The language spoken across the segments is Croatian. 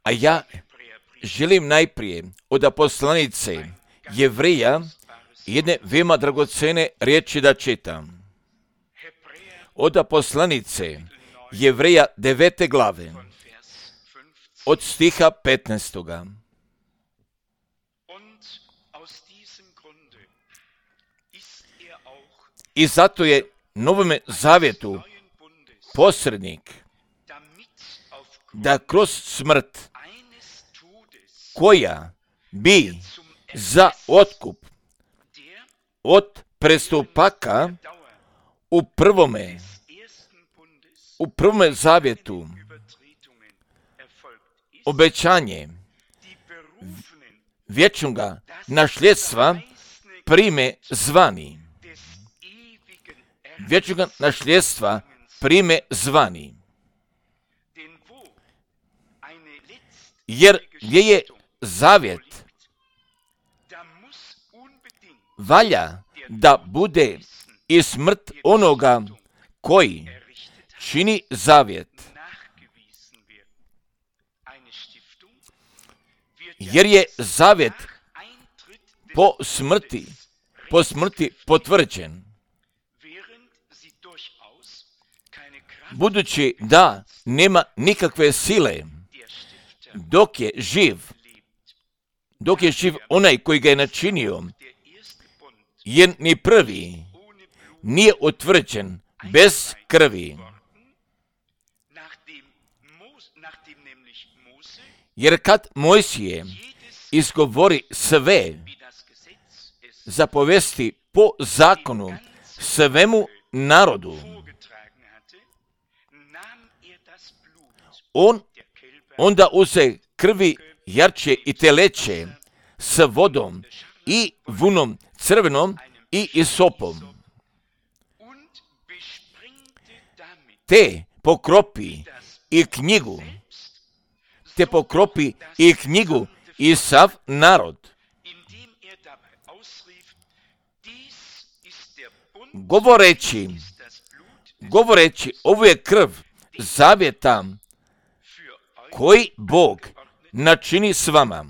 A ja želim najprije od poslanice Jevreja jedne veoma dragocene riječi da čitam. Od poslanice Jevreja 9. glave, od stiha 15. I zato je Novome zavjetu posrednik, da kroz smrt, koja bi za otkup od prestupaka u prvome zavjetu obećanje vječnoga nasljedstva prime zvani. Vječnoga nasljedstva prime zvani. Jer gdje je zavjet, valja da bude i smrt onoga koji čini zavjet. Jer je zavjet po smrti potvrđen. Budući da nema nikakve sile dok je živ onaj koji ga je načinio, jer ni prvi nije utvrđen bez krvi. Jer kad Mojsije izgovori sve zapovesti po zakonu svemu narodu, on onda uze krvi jarče i teleće s vodom i vunom crvenom i isopom. Te pokropi i knjigu i sav narod. Govoreći, ovo je krv zavjeta koji Bog načini s vama.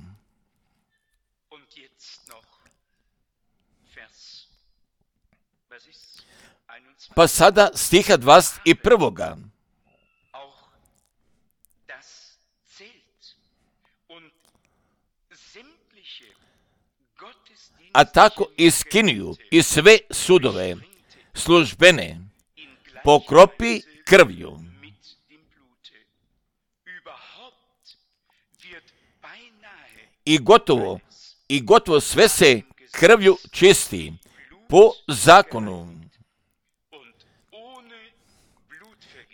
Pa sada stiha 21. A tako i skinju i sve sudove službene pokropi krvju. I gotovo sve se krvju čisti po zakonu.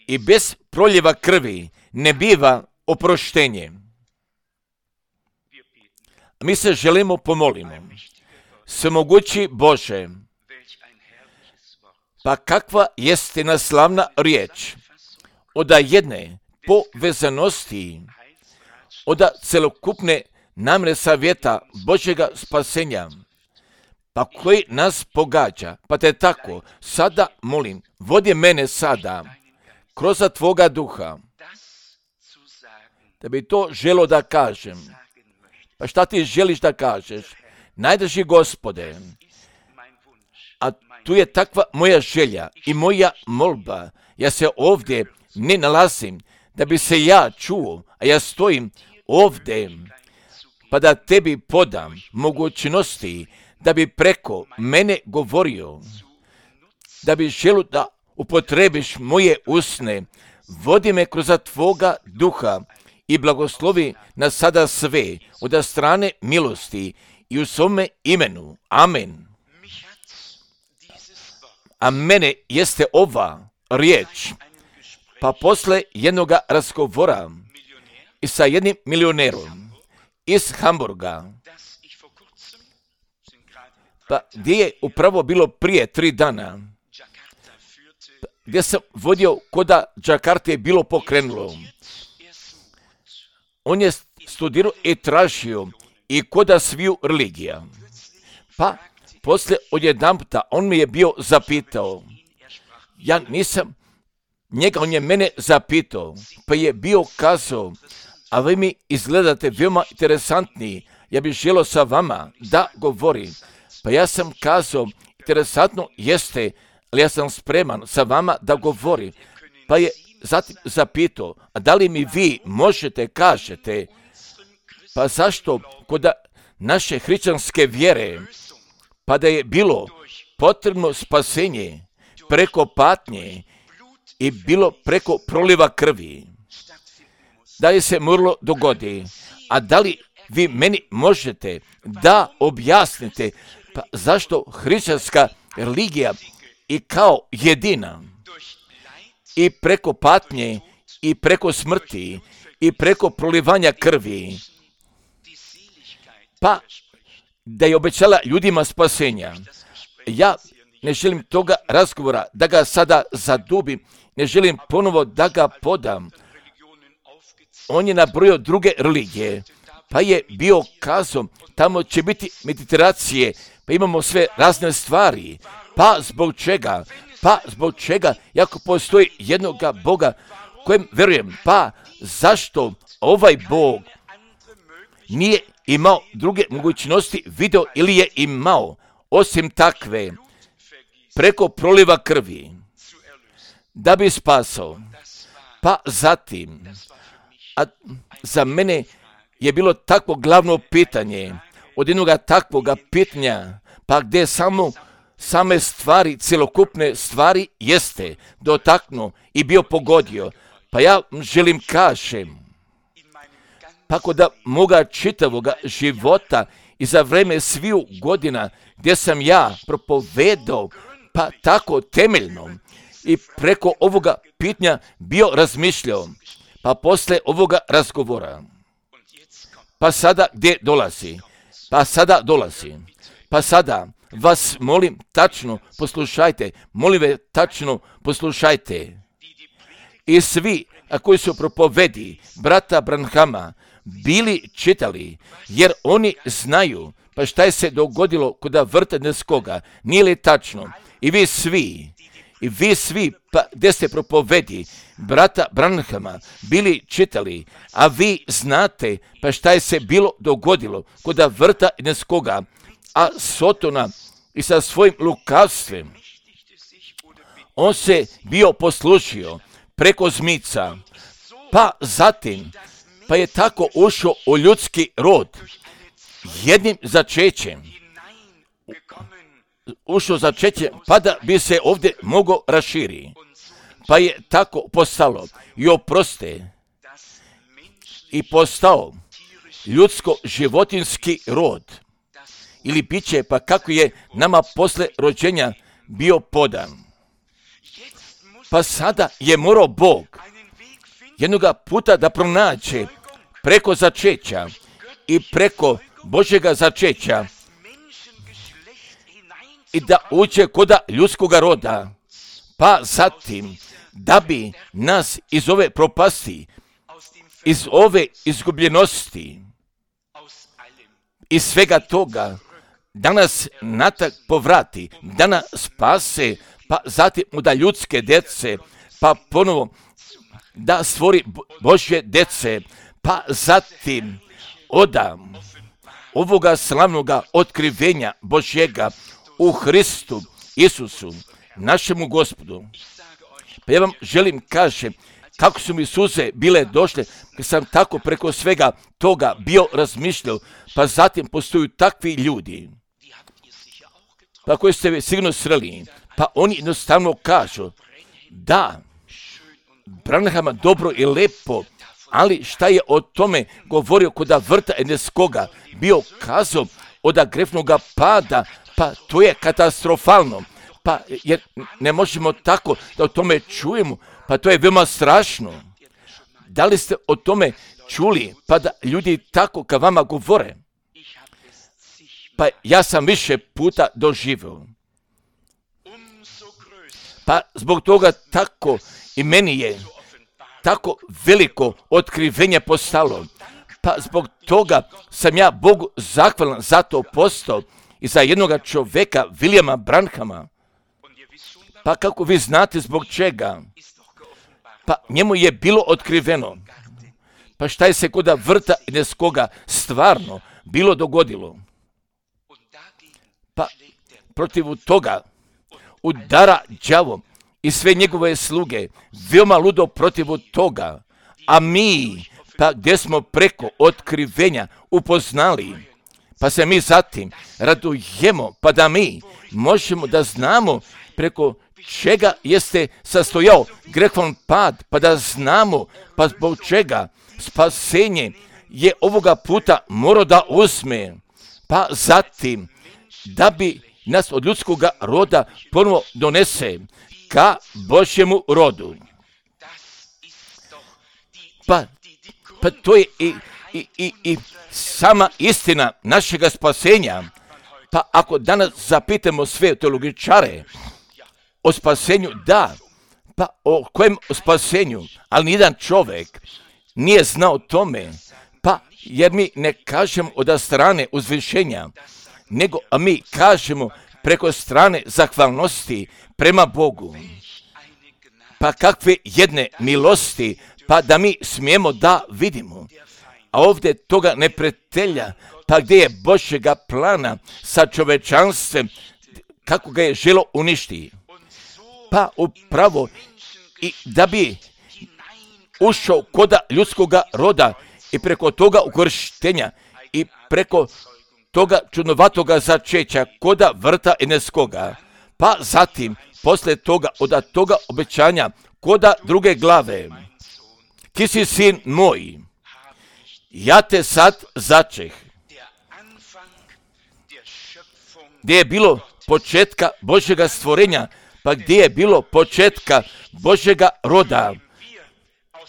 I bez proljeva krvi ne biva oproštenje. Mi se želimo pomolimo. Svemogući Bože, pa kakva jeste naslavna riječ od jedne povezanosti, od celokupne namjere savjeta Božjega spasenja, pa koji nas pogađa. Pa te tako, sada molim, vodi mene sada kroz Tvoga duha, da bi to želo da kažem. Pa šta ti želiš da kažeš? Najdrži Gospode, a tu je takva moja želja i moja molba. Ja se ovdje ne nalazim da bi se ja čuo, a ja stojim ovdje, pa da tebi podam mogućnosti da bi preko mene govorio, da bi želio da upotrebiš moje usne, vodi me kroz Tvoga duha i blagoslovi nas sada sve od strane milosti i u svome imenu. Amen. A mene jeste ova riječ, pa posle jednoga razgovora i sa jednim milionerom iz Hamburga, pa gdje je upravo bilo prije 3 dana, gdje sam vodio koda Džakarte je bilo pokrenulo. On je studirao i tražio i koda sviju religija. Pa poslije odjedanputa on mi je bio zapitao, ja nisam njega, on je mene zapitao, pa je bio kazao, a vi mi izgledate veoma interesantni, ja bih želio sa vama da govorim. Pa ja sam kazao, interesantno jeste, ali ja sam spreman sa vama da govorim. Pa je zatim zapitao, a da li mi vi možete kažete, pa zašto kod naše hrišćanske vjere, pa da je bilo potrebno spasenje preko patnje i bilo preko proliva krvi, da li se moralo dogodi, a da li vi meni možete da objasnite pa zašto hrišćanska religija i kao jedina i preko patnje i preko smrti i preko prolivanja krvi, pa da je obećala ljudima spasenja. Ja ne želim toga razgovora da ga sada zadubim, ne želim ponovo da ga podam. On je nabrojio druge religije, pa je bio kazao, tamo će biti meditacije, pa imamo sve razne stvari. Pa zbog čega? Pa zbog čega, jako postoji jednoga Boga kojem verujem, pa zašto ovaj Bog nije imao druge mogućnosti video ili je imao, osim takve, preko proliva krvi, da bi spasao. Pa zatim, a za mene je bilo takvo glavno pitanje, od jednoga takvoga pitanja, pa gdje same stvari, cjelokupne stvari jeste dotaknuo i bio pogodio. Pa ja želim kažem, pa kod moga čitavoga života i za vreme sviju godina gdje sam ja propovedao, pa tako temeljno i preko ovoga pitanja bio razmišljao, pa posle ovoga razgovora, pa sada gdje dolazi? Pa sada vas molim tačno poslušajte, molim vas tačno poslušajte. I svi koji su propovedi brata Branhama bili čitali, jer oni znaju pa šta je se dogodilo kod Vrteneskoga, nije li tačno? I vi svi, pa gdje ste propovedi brata Branhama bili čitali, a vi znate pa šta je se bilo dogodilo kod Vrteneskoga, a Sotona i sa svojim lukavstvem, on se bio poslužio preko zmica, pa zatim, pa je tako ušao u ljudski rod, jednim začećem, ušao začećem, pa da bi se ovdje mogao raširi, pa je tako postalo i oproste i postao ljudsko-životinski rod, ili biće, pa kako je nama posle rođenja bio podan. Pa sada je morao Bog jednoga puta da pronađe preko začeća i preko Božjega začeća i da uđe kod ljudskoga roda, pa zatim da bi nas iz ove propasti, iz ove izgubljenosti, iz svega toga, da nas natak povrati, da nas spase, pa zatim da ljudske djece, pa ponovo da stvori Božje djece, pa zatim odam ovoga slavnoga otkrivenja Božjega u Hristu Isusu, našemu Gospodu. Pa ja vam želim kažem kako su mi suze bile došle, kad sam tako preko svega toga bio razmišljao, pa zatim postoju takvi ljudi, pa koji ste sigurno sreli, pa oni jednostavno kažu, da, Branhama dobro i lepo, ali šta je o tome govorio kod Vrteneskoga, bio kazao od grefnoga pada, pa to je katastrofalno, pa jer ne možemo tako da o tome čujemo, pa to je veoma strašno. Da li ste o tome čuli, pa da ljudi tako ka vama govore? Pa ja sam više puta doživio. Pa zbog toga tako i meni je tako veliko otkrivenje postalo. Pa zbog toga sam ja Bogu zahvalan za to postao i za jednoga čovjeka, Williama Branhama. Pa kako vi znate zbog čega? pa njemu je bilo otkriveno. Pa šta je se kod vrta Edenskoga stvarno bilo dogodilo? Pa protiv toga udara đavo i sve njegove sluge, veoma ludo protiv toga, a mi, pa gdje smo preko otkrivenja upoznali, pa se mi zatim radujemo, pa da mi možemo da znamo preko čega jeste sastojao grehom pad, pa da znamo, pa zbog čega spasenje je ovoga puta morao da uzme, pa zatim da bi nas od ljudskoga roda ponovo donese ka Božjemu rodu. Pa to je i sama istina našega spasenja. Pa ako danas zapitamo sve teologičare o spasenju, da, pa o kojem spasenju, ali nijedan čovjek nije znao o tome, pa jer mi ne kažemo od strane uzvišenja, nego a mi kažemo preko strane zahvalnosti prema Bogu. Pa kakve jedne milosti, pa da mi smijemo da vidimo. A ovdje toga neprijatelja, pa gdje je Božjega plana sa čovečanstvom, kako ga je želo uništiti. Pa upravo i da bi ušao koda ljudskoga roda i preko toga ukrštenja i preko toga čudnovatoga začeća koda vrta Edenskoga, pa zatim posle toga od toga obećanja koda druge glave, ti si sin moj, ja te sad začeh. Gdje je bilo početka Božjega stvorenja, pa gdje je bilo početka Božjega roda,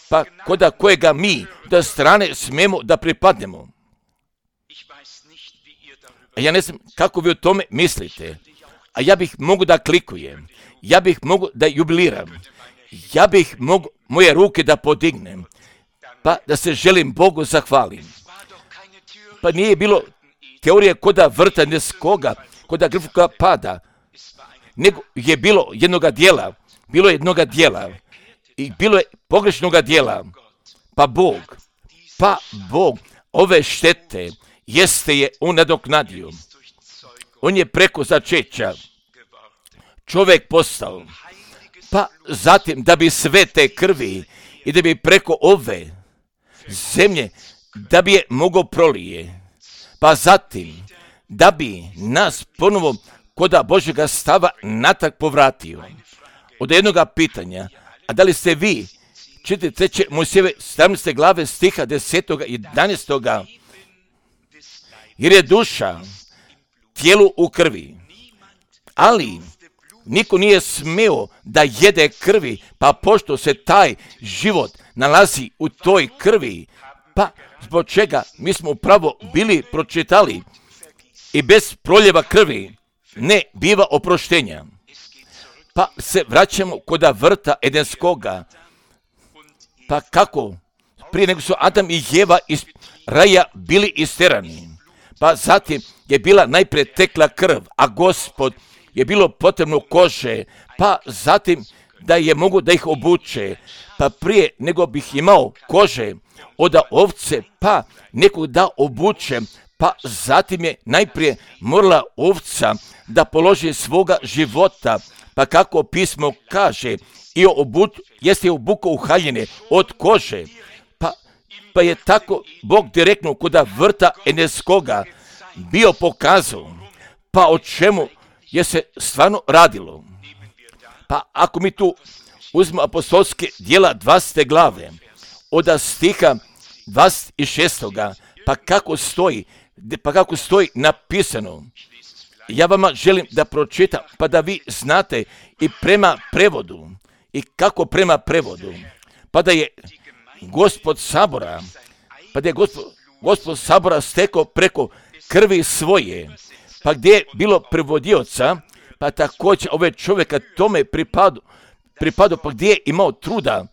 pa koda kojega mi da strane smijemo da pripadnemo. A ja ne znam kako vi o tome mislite, a ja bih mogu da klikujem, ja bih mogu da jubiliram, ja bih mogu moje ruke da podignem, pa da se želim Bogu zahvalim. Pa nije bilo teorije koda vrta Edenskoga, koda grehova pada, nego je bilo jednoga dijela, i bilo je pogrešnoga dijela, pa Bog ove štete jeste je on nadoknadio. On je preko začeća čovjek postao, pa zatim da bi sve te krvi i da bi preko ove zemlje da bi je mogao prolije, pa zatim da bi nas ponovo koda Božjega stava natrag povratio. Od jednoga pitanja, a da li ste vi, čitajte 3. Mojsijeve 17. glave stiha 10. i 11. Jer je duša tijelu u krvi, ali niko nije smeo da jede krvi, pa pošto se taj život nalazi u toj krvi, pa zbog čega mi smo upravo bili pročitali i bez proljeva krvi ne biva oproštenja. Pa se vraćamo koda vrta Edenskoga, pa kako prije nego su Adam i Jeva iz raja bili isterani, pa zatim je bila najprije tekla krv, a Gospod je bilo potrebno kože, pa zatim da je mogu da ih obuče, pa prije nego bih imao kože od ovce, pa nekog da obuče, pa zatim je najprije morala ovca da položi svoga života, pa kako pismo kaže, i jeste obukao u haljine od kože, pa je tako Bog direktno koda vrta Edenskoga bio pokazao, pa o čemu je se stvarno radilo. Pa ako mi tu uzmemo apostolske djela 20. glave, od stiha 26. pa kako stoji napisano, ja vama želim da pročitam, pa da vi znate i prema prevodu, i kako prema prevodu, pa da je Gospod sabora stekao preko krvi svoje, pa gdje je bilo prevodioca, pa također ove čovjeka tome pripadao, pa gdje je imao truda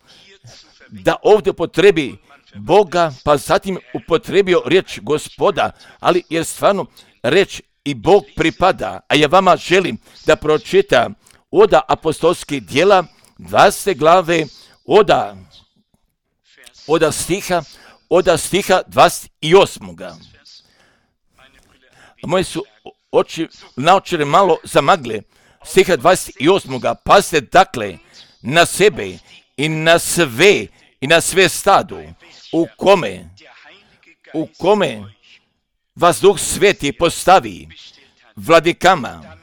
da ovdje upotrebi Boga, pa zatim upotrebio riječ Gospoda, ali jer stvarno riječ i Bog pripada, a ja vama želim da pročitam od apostolskih djela 20. glave od stiha 28. Moje su naočare malo zamagle. Stiha 28. Pazite dakle na sebe i na sve stado u kome vas Duh Sveti postavi vladikama,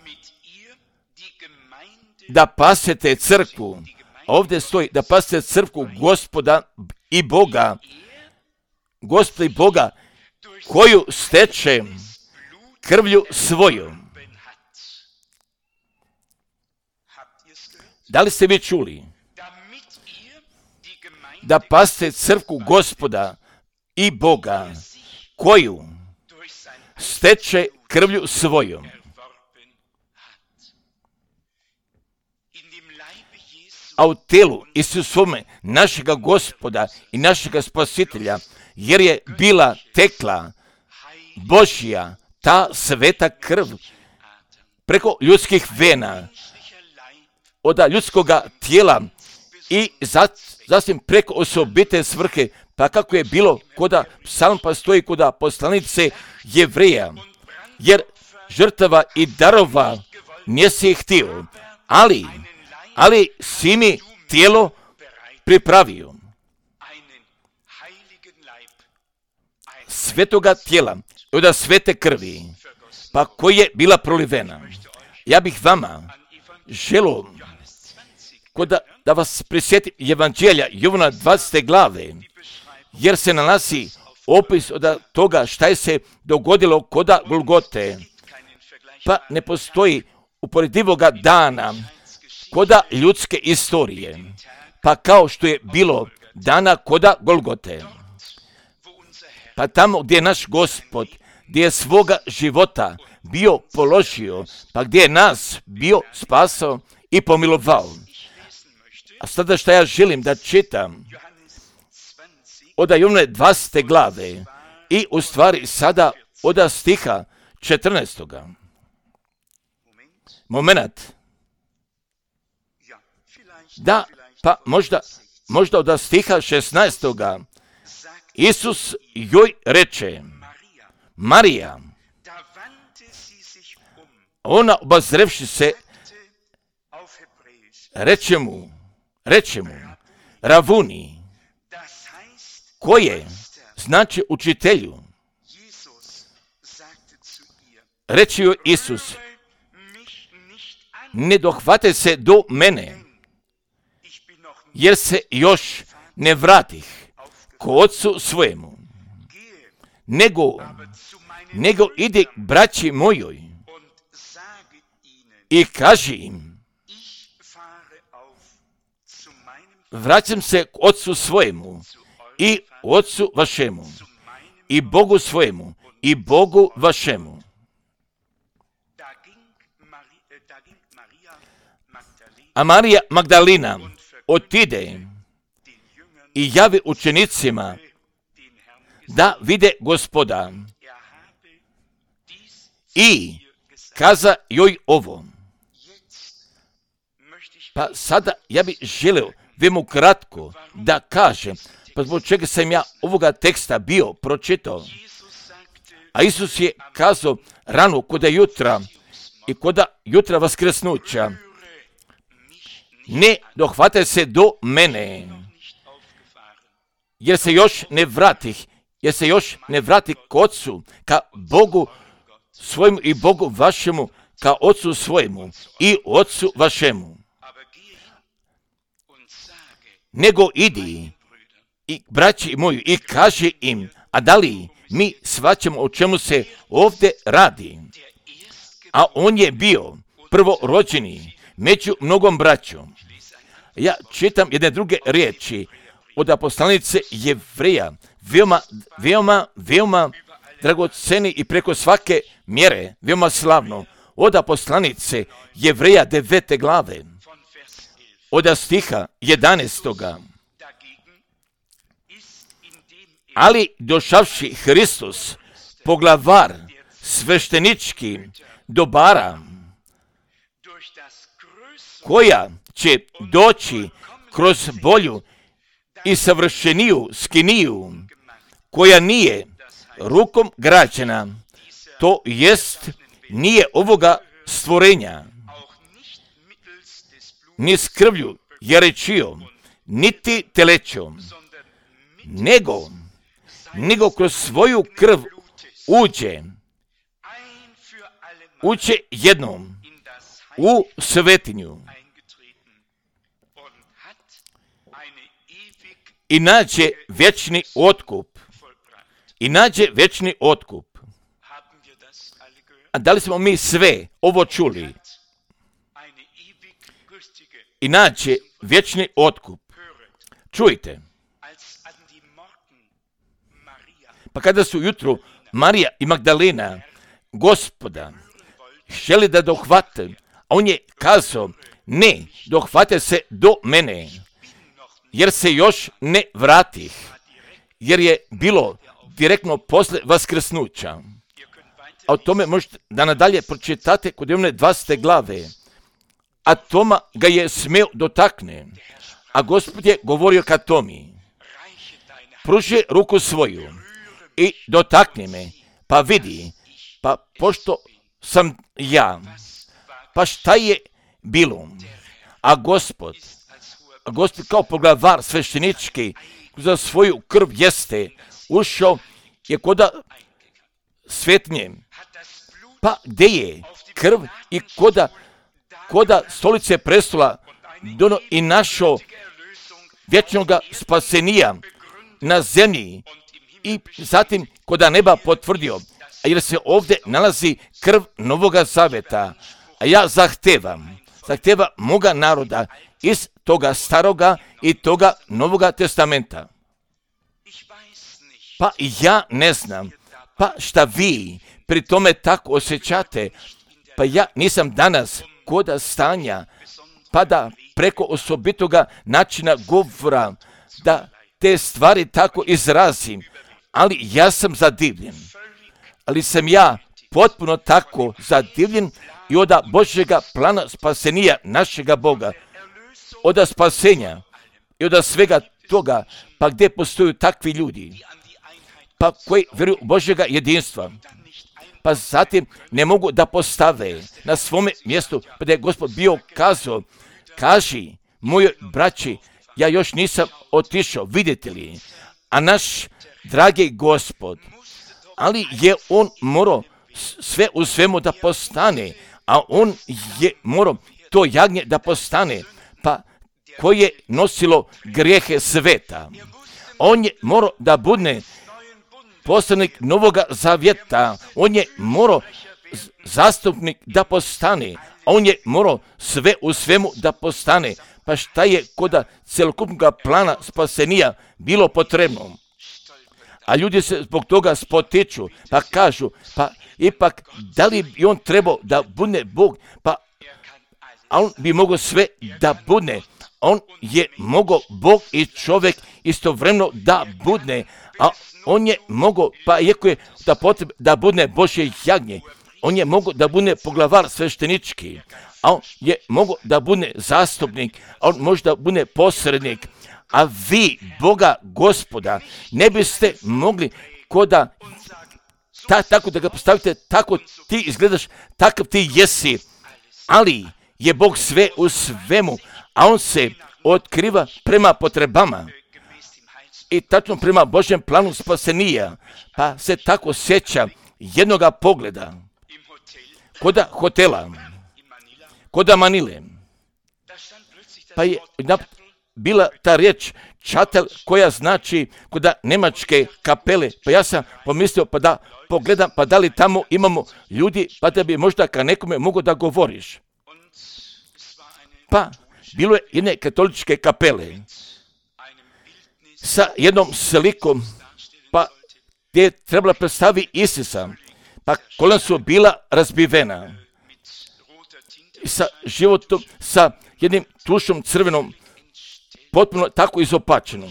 da pasete crkvu. Ovdje stoji da pasete crkvu Gospoda i Boga, koju steče krvlju svoju. Da li ste vi čuli? Da pasete crkvu Gospoda i Boga, koju steče krvlju svojom. A u telu Isusovome našega Gospoda i našega Spasitelja, jer je bila tekla Božja ta sveta krv preko ljudskih vena, od ljudskoga tijela i zatim preko osobite svrhe, pa kako je bilo koda psalm pa stoji koda poslanice Jevreja, jer žrtava i darova nisi htio, ali si mi tijelo pripravio. Svetoga tijela, od svete krvi, pa koja je bila prolivena. Ja bih vama želio da vas prisjetim Evanđelja Jovana 20. glave, jer se nalazi opis od toga šta je se dogodilo koda Golgote, pa ne postoji uporedivoga dana koda ljudske istorije, pa kao što je bilo dana koda Golgote. Pa tamo gdje je naš Gospod, gdje je svoga života bio položio, pa gdje je nas bio spasao i pomilovao. A sada što ja želim da čitam od Jovane 20. glave i u stvari sada od stiha 14. Moment. Da, pa možda od stiha 16. Isus joj reče, Marija. Ona obazrevši se, reče mu, Ravuni, koje znači učitelju. Reče joj Isus, ne dohvate se do mene, jer se još ne vratih ko ocu svojemu, nego ide k braći mojoj i kaži im, vraćam se k ocu svojemu i ocu vašemu i Bogu svojemu i Bogu vašemu. A Marija Magdalina otide i javi učenicima da vide Gospoda i kaza joj ovo. Pa sada ja bih želio vemu kratko da kažem, pa zbog čega sam ja ovoga teksta bio pročitao. A Isus je kazao rano koda jutra i koda jutra vaskrsnuća, ne dohvate se do mene, jer se još ne vratih k Otcu, ka Bogu svojemu i Bogu vašemu, ka Otcu svojemu i Otcu vašemu. Nego idi i braći moji i kaži im, a da li mi shvaćamo o čemu se ovdje radi? A on je bio prvorođeni među mnogom braćom. Ja čitam jedne druge riječi od poslanice Jevreja, veoma dragoceni i preko svake mjere, veoma slavno, od poslanice Jevreja 9. glave, od stiha 11. Ali došavši Hristos, poglavar sveštenički dobara, koja će doći kroz bolju i savršeniju skiniju, koja nije rukom građena, to jest nije ovoga stvorenja, ni s krvlju jerečijom, niti telećom, nego kroz svoju krv uđe jednom u svetinju i nađe vječni otkup. A da li smo mi sve ovo čuli? I nađe vječni otkup. Čujte. Pa kada su jutro Marija i Magdalena Gospoda želi da dohvate, a on je kazao, ne, dohvate se do mene, jer se još ne vratih, jer je bilo direktno posle vaskrsnuća. A o tome možete da nadalje pročitate kod one 20. glave. A Toma ga je smeo dotakne, a Gospod je govorio ka Tomi, pruži ruku svoju i dotakni me, pa vidi, pa pošto sam ja, pa šta je bilo? A Gospod kao poglavar sveštenički za svoju krv jeste ušao je koda svetnje, pa gdje je krv i koda stolice prestola dono i našo vječnoga spasenija na zemlji i zatim koda neba potvrdio, jer se ovdje nalazi krv Novoga Zaveta, a ja zahtevam moga naroda iz toga staroga i toga Novoga Testamenta. Pa ja ne znam, pa šta vi pri tome tako osjećate, pa ja nisam danas koda stanja, pa da preko osobitoga načina govora, da te stvari tako izrazim, ali ja sam zadivljen. Ali sam ja potpuno tako zadivljen i od Božjega plana spasenija našega Boga, od spasenja i od svega toga, pa gdje postoju takvi ljudi, pa koji vjeruju Božjega jedinstva, pa zatim ne mogu da postave na svome mjestu, pa da je Gospod bio kazao, kaži mojoj braći, ja još nisam otišao, vidite li, a naš dragi Gospod, ali je on morao sve u svemu da postane, a on je morao to jagnje da postane, pa koje je nosilo grijehe sveta. On je morao da bude poslanik Novoga Zavjeta, on je morao zastupnik da postane, a on je morao sve u svemu da postane. Pa šta je koda celokupnog plana spasenija bilo potrebno? A ljudi se zbog toga spotiču, pa kažu, pa ipak da li bi on trebao da bude Bog, pa a on bi mogao sve da bude. On je mogao Bog i čovjek istovremeno da bude, a on je mogao, pa iako je da potrebe da bude Božje jagnje, on je mogao da bude poglavar sveštenički, a on je mogao da bude zastupnik, a on može da bude posrednik, a vi, Boga Gospoda, ne biste mogli koda tako da ga postavite, tako ti izgledaš, takav ti jesi, ali je Bog sve u svemu, a on se otkriva prema potrebama i tačno prema Božjem planu spasenija, pa se tako sjeća jednoga pogleda koda hotela, koda Manile, pa je bila ta riječ čatel koja znači koda nemačke kapele, pa ja sam pomislio pa da pogledam pa da li tamo imamo ljudi pa da bi možda ka nekome mogo da govoriš. Pa bilo je jedne katoličke kapele sa jednom slikom, pa gdje je trebala predstaviti Isusa, pa kolena su bila razbivena sa životom, sa jednim tušom crvenom, potpuno tako izopačenom.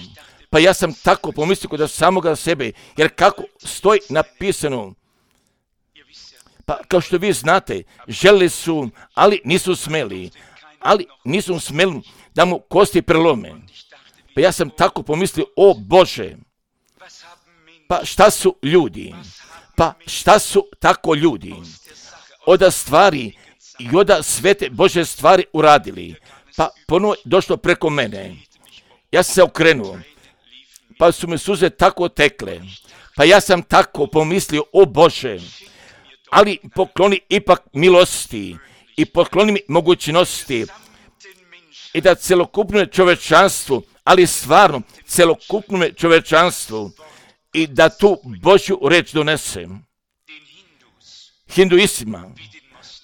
Pa ja sam tako pomislio kod samoga sebe, jer kako stoji napisano, pa kao što vi znate, želili su, ali nisu smeli da mu kosti prelome. Pa ja sam tako pomislio, o Bože, pa šta su ljudi? Pa šta su tako ljudi? Oda stvari i oda svete Bože stvari uradili. Pa ponovo došlo preko mene. Ja sam se okrenuo. Pa su mi suze tako tekle. Pa ja sam tako pomislio, o Bože, ali pokloni ipak milosti i pokloni mi mogućnosti i da celokupno čovečanstvu, ali stvarno celokupno čovečanstvu i da tu Božju reč donesem hinduistima,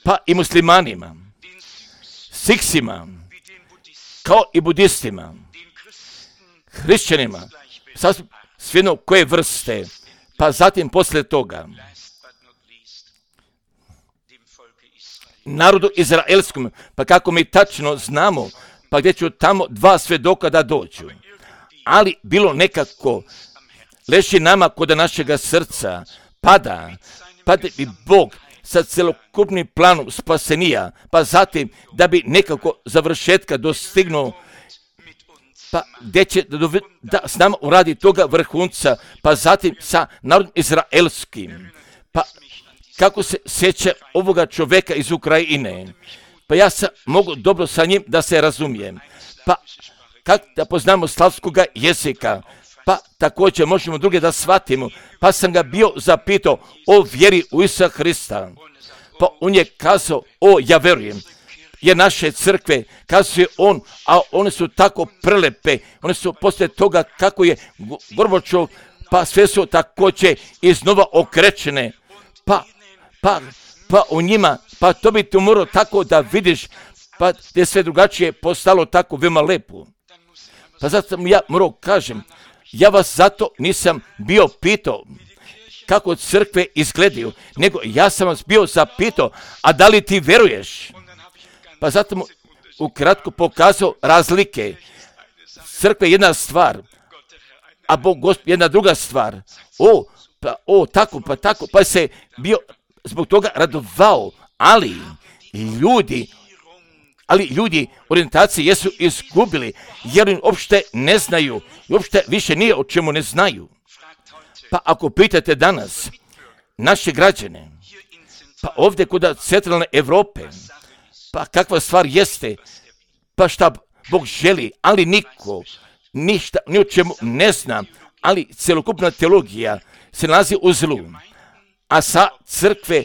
pa i muslimanima, siksima, kao i budistima, hrišćanima, svejedno koje vrste, pa zatim poslije toga narodu izraelskom, pa kako mi tačno znamo, pa gdje ću tamo 2 svjedoka da dođu. Ali bilo nekako leži nama kod našega srca, pada bi Bog sa celokupnim planom spasenija, pa zatim da bi nekako završetka dostignuo, pa gdje će da s nama uradi toga vrhunca, pa zatim sa narodom izraelskim. Pa kako se sjeća ovoga čovjeka iz Ukrajine, pa ja mogu dobro sa njim da se razumijem. Pa kako da poznamo slavskoga jezika, pa također možemo druge da shvatimo. Pa sam ga bio zapitao o vjeri u Isusa Hrista. Pa on je kazao, o ja verujem, jer naše crkve, kazuje on, a one su tako prelepe, one su poslije toga kako je Gorbačov, pa sve su također iznova okrečene, pa u njima, pa to bi tu morao tako da vidiš, pa gdje sve drugačije postalo tako veoma lepo. Pa zato sam ja morao kažem, ja vas zato nisam bio pitao kako crkve izgledaju, nego ja sam vas bio zapitao, a da li ti veruješ? Pa zato mu ukratko pokazao razlike. Crkva je jedna stvar, a Bog Gospod jedna druga stvar. Tako, pa se bio zbog toga radovao, ali ljudi orijentacije jesu izgubili, jer im uopšte ne znaju, i uopšte više nije o čemu ne znaju. Pa ako pitate danas naše građane, pa ovdje kod centralne Europe, pa kakva stvar jeste, pa šta Bog želi, ali niko ništa, ni o čemu ne zna, ali celokupna teologija se nalazi u zlu. A sa crkve,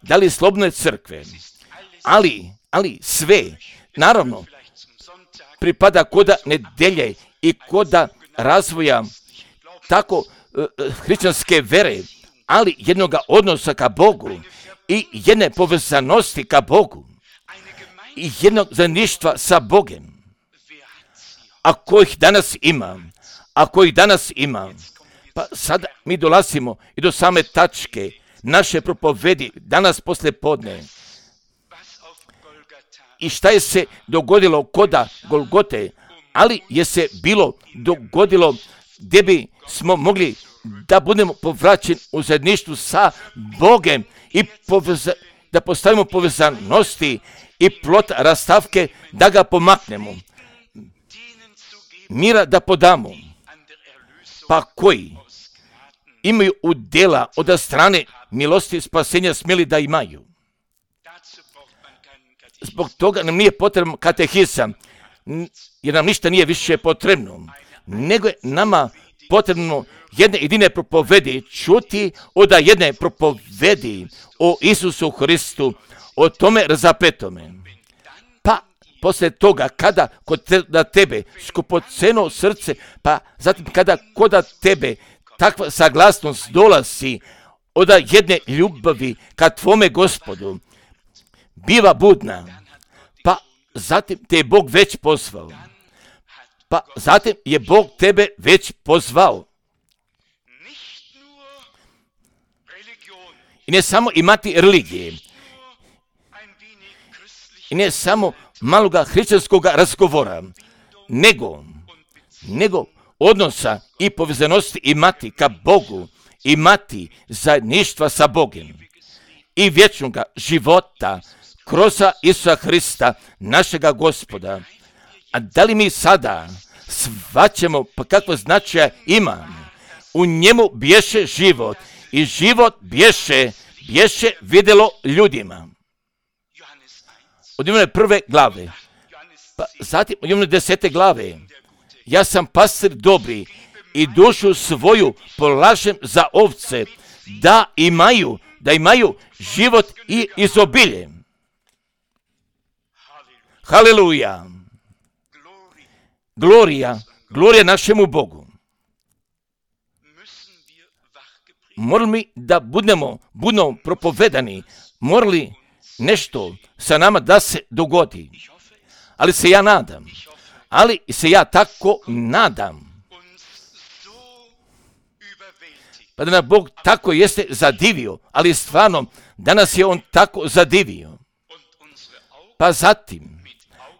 da li slobodne crkve, ali sve, naravno, pripada koda nedelje i koda razvoja tako hrišćanske vere, ali jednoga odnosa ka Bogu i jedne povezanosti ka Bogu i jednog zajedništva sa Bogem. Ako ih danas ima, pa sada mi dolazimo i do same tačke naše propovedi danas poslije podne. I šta je se dogodilo koda Golgote, ali je se dogodilo gdje bi smo mogli da budemo povraćeni u zajedništvu sa Bogem i da postavimo povezanosti i plot rastavke da ga pomaknemo. Mira da podamo. Pa koji imaju udjela od strane milosti spasenja smjeli da imaju. Zbog toga nam nije potrebno katehizam, jer nam ništa nije više potrebno, nego je nama potrebno jedne jedine propovedi čuti od jedne propovedi o Isusu Hristu, o tome razapetome. Pa poslije toga, kada na tebe skupoceno srce, pa zatim kada kod tebe takva saglasnost dolazi od jedne ljubavi ka tvome Gospodu, biva budna, pa zatim te je Bog već pozvao. Pa zatim je Bog tebe već pozvao. I ne samo imati religije, i ne samo maloga hrišćanskog razgovora, nego odnosa i povezanosti imati ka Bogu, imati zajedništva sa Bogom i vječnoga života kroz Isusa Hrista, našega Gospoda. A da li mi sada shvaćamo pa kakvo značaja ima. U njemu bješe život i život bješe vidjelo ljudima. Od Ivane 1. glave, pa zatim od Ivane 10. glave, ja sam pastir dobri i dušu svoju polažem za ovce, da imaju život i izobilje. Haleluja! Glorija našemu Bogu. Morali mi da budemo propovedani, morali nešto sa nama da se dogodi. Ali se ja tako nadam. Pa da nas Bog tako jeste zadivio, ali stvarno danas je On tako zadivio. Pa zatim,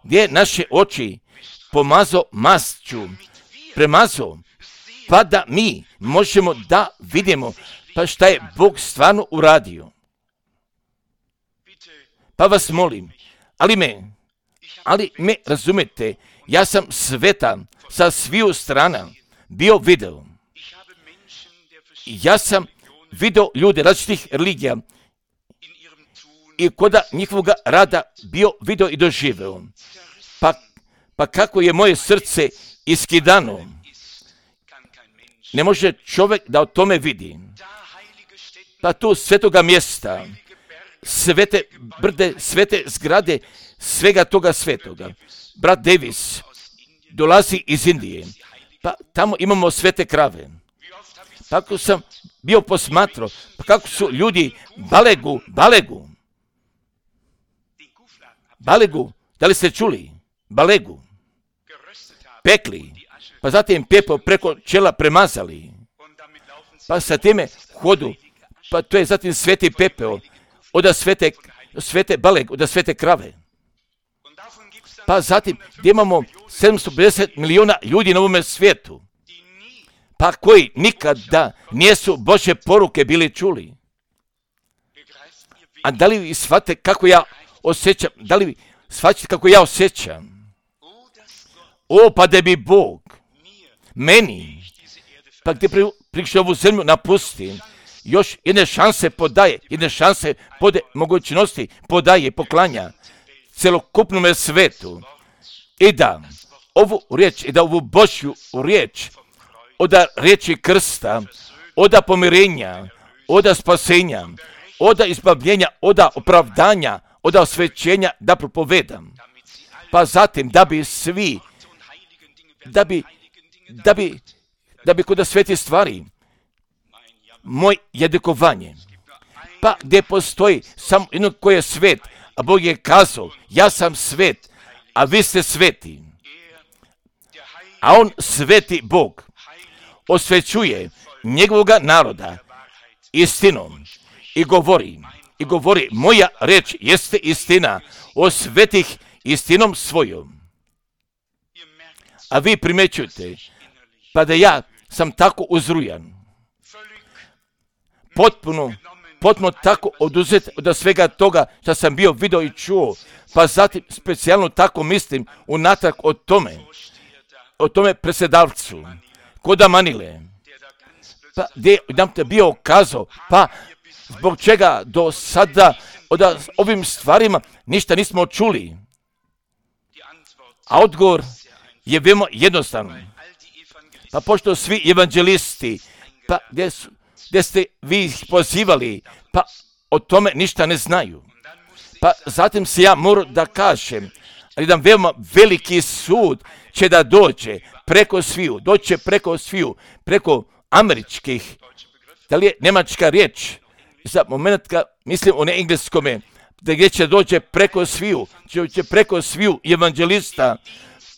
gdje naše oči pomazao mašću, premazao, pa da mi možemo da vidimo pa šta je Bog stvarno uradio. Pa vas molim, ali me razumete, ja sam sveta sa sviju strana bio video. Ja sam video ljude različitih religija i koda njihovoga rada bio video i doživeo. Pa kako je moje srce iskidano, ne može čovjek da o tome vidi. Pa tu svetoga mjesta, svete brde, svete zgrade, svega toga svetoga. Brat Davis dolazi iz Indije, pa tamo imamo svete krave. Pa kako sam bio posmatrao, pa kako su ljudi balegu, da li ste čuli? Balegu, pekli, pa zatim pepeo preko čela premazali, pa sa time hodu, pa to je zatim sveti pepeo, od svete balegu, od svete krave. Pa zatim gdje imamo 750 milijuna ljudi na ovome svijetu, pa koji nikada nisu Božje poruke bili čuli. A da li vi shvatite kako ja osjećam? Da li vi shvatite kako ja osjećam? Pa da bi Bog meni, pa gdje prišao ovu zemlju napusti, još jedne šanse mogućnosti podaje, poklanja celokupnome svetu. I da ovu Božju riječ, od riječi krsta, od pomirenja, od spasenja, od izbavljenja, od opravdanja, od osvećenja da propovedam. Pa zatim da bi svi, da bi kod sveti stvari, moj jedikovanje, pa gdje postoji samo jedno koji je svet, a Bog je kazao, ja sam svet, a vi ste sveti. A On, sveti Bog, osvećuje njegovoga naroda istinom i govori, moja reč jeste istina, osvetih istinom svojom. A vi primećujete, pa da ja sam tako uzrujan, potpuno tako oduzet od svega toga što sam bio vidio i čuo, pa zatim specijalno tako mislim unatrag o tome presedavcu, koda Manile, pa gdje nam te bio kazao, pa zbog čega do sada od ovim stvarima ništa nismo čuli. A odgovor je veoma jednostavan. Pa pošto svi evanđelisti, pa gdje ste vi ih pozivali, pa o tome ništa ne znaju. Pa zatim se ja moram da kažem, jedan veoma veliki sud će da dođe preko sviju, preko američkih, da li je njemačka riječ, za moment mislim o engleskome, gdje će dođe preko sviju evanđelista,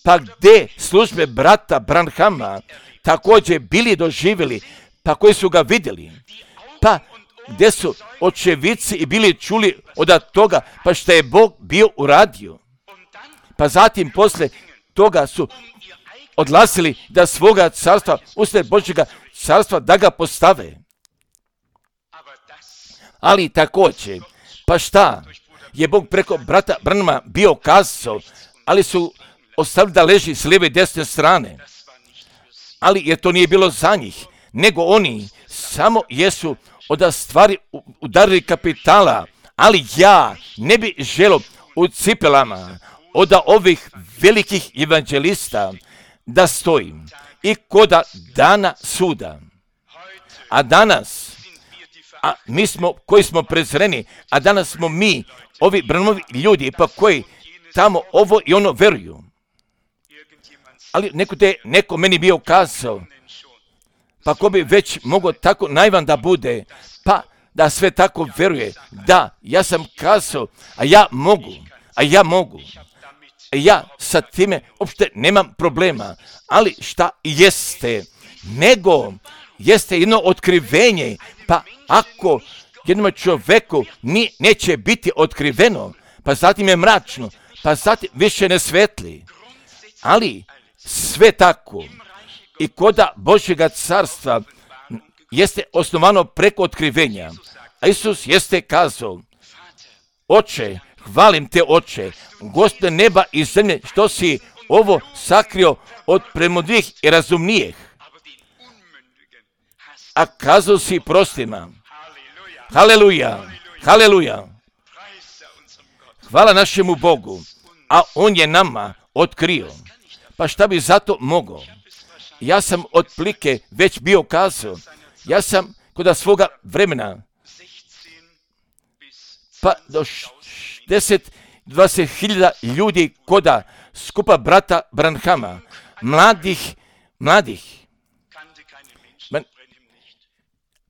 pa gdje službe brata Branhama također bili doživjeli, pa koji su ga vidjeli, pa gdje su očevici i bili čuli od toga, pa što je Bog bio uradio. Pa zatim posle toga su odlazili da svoga carstva, usred Božjega carstva, da ga postave. Ali također, pa šta je Bog preko brata Branhama bio kazao, ali su ostavili da leži s lijeve i desne strane. Ali jer to nije bilo za njih, nego oni samo jesu od stvari udarili kapitala. Ali ja ne bi želio u cipelama od ovih velikih evanđelista da stojim i koda dana suda. A danas, mi smo koji smo prezreni, a danas smo mi, ovi branovi ljudi, pa koji tamo ovo i ono veruju. Ali neko meni bio kazao, pa ko bi već mogao tako naivan da bude, pa da sve tako veruje. Da, ja sam kazao, a ja mogu. Ja sa time uopšte nemam problema. Ali šta jeste? Nego jeste jedno otkrivenje. Pa ako jednom čovjeku neće biti otkriveno, pa zatim je mračno, pa zatim više ne svetli. Ali sve tako i koda Božjega carstva jeste osnovano preko otkrivenja. A Isus jeste kazao, Oče, hvalim te, Oče, Gospode neba i zemlje, što si ovo sakrio od premudrijih i razumnijih, a kazao si prostima. Haleluja, haleluja. Hvala našemu Bogu, a On je nama otkrio. Pa šta bi zato mogao? Ja sam otplike već bio kazao, ja sam kod svoga vremena, pa do 10-20 000 ljudi koda skupa brata Branhama, mladih,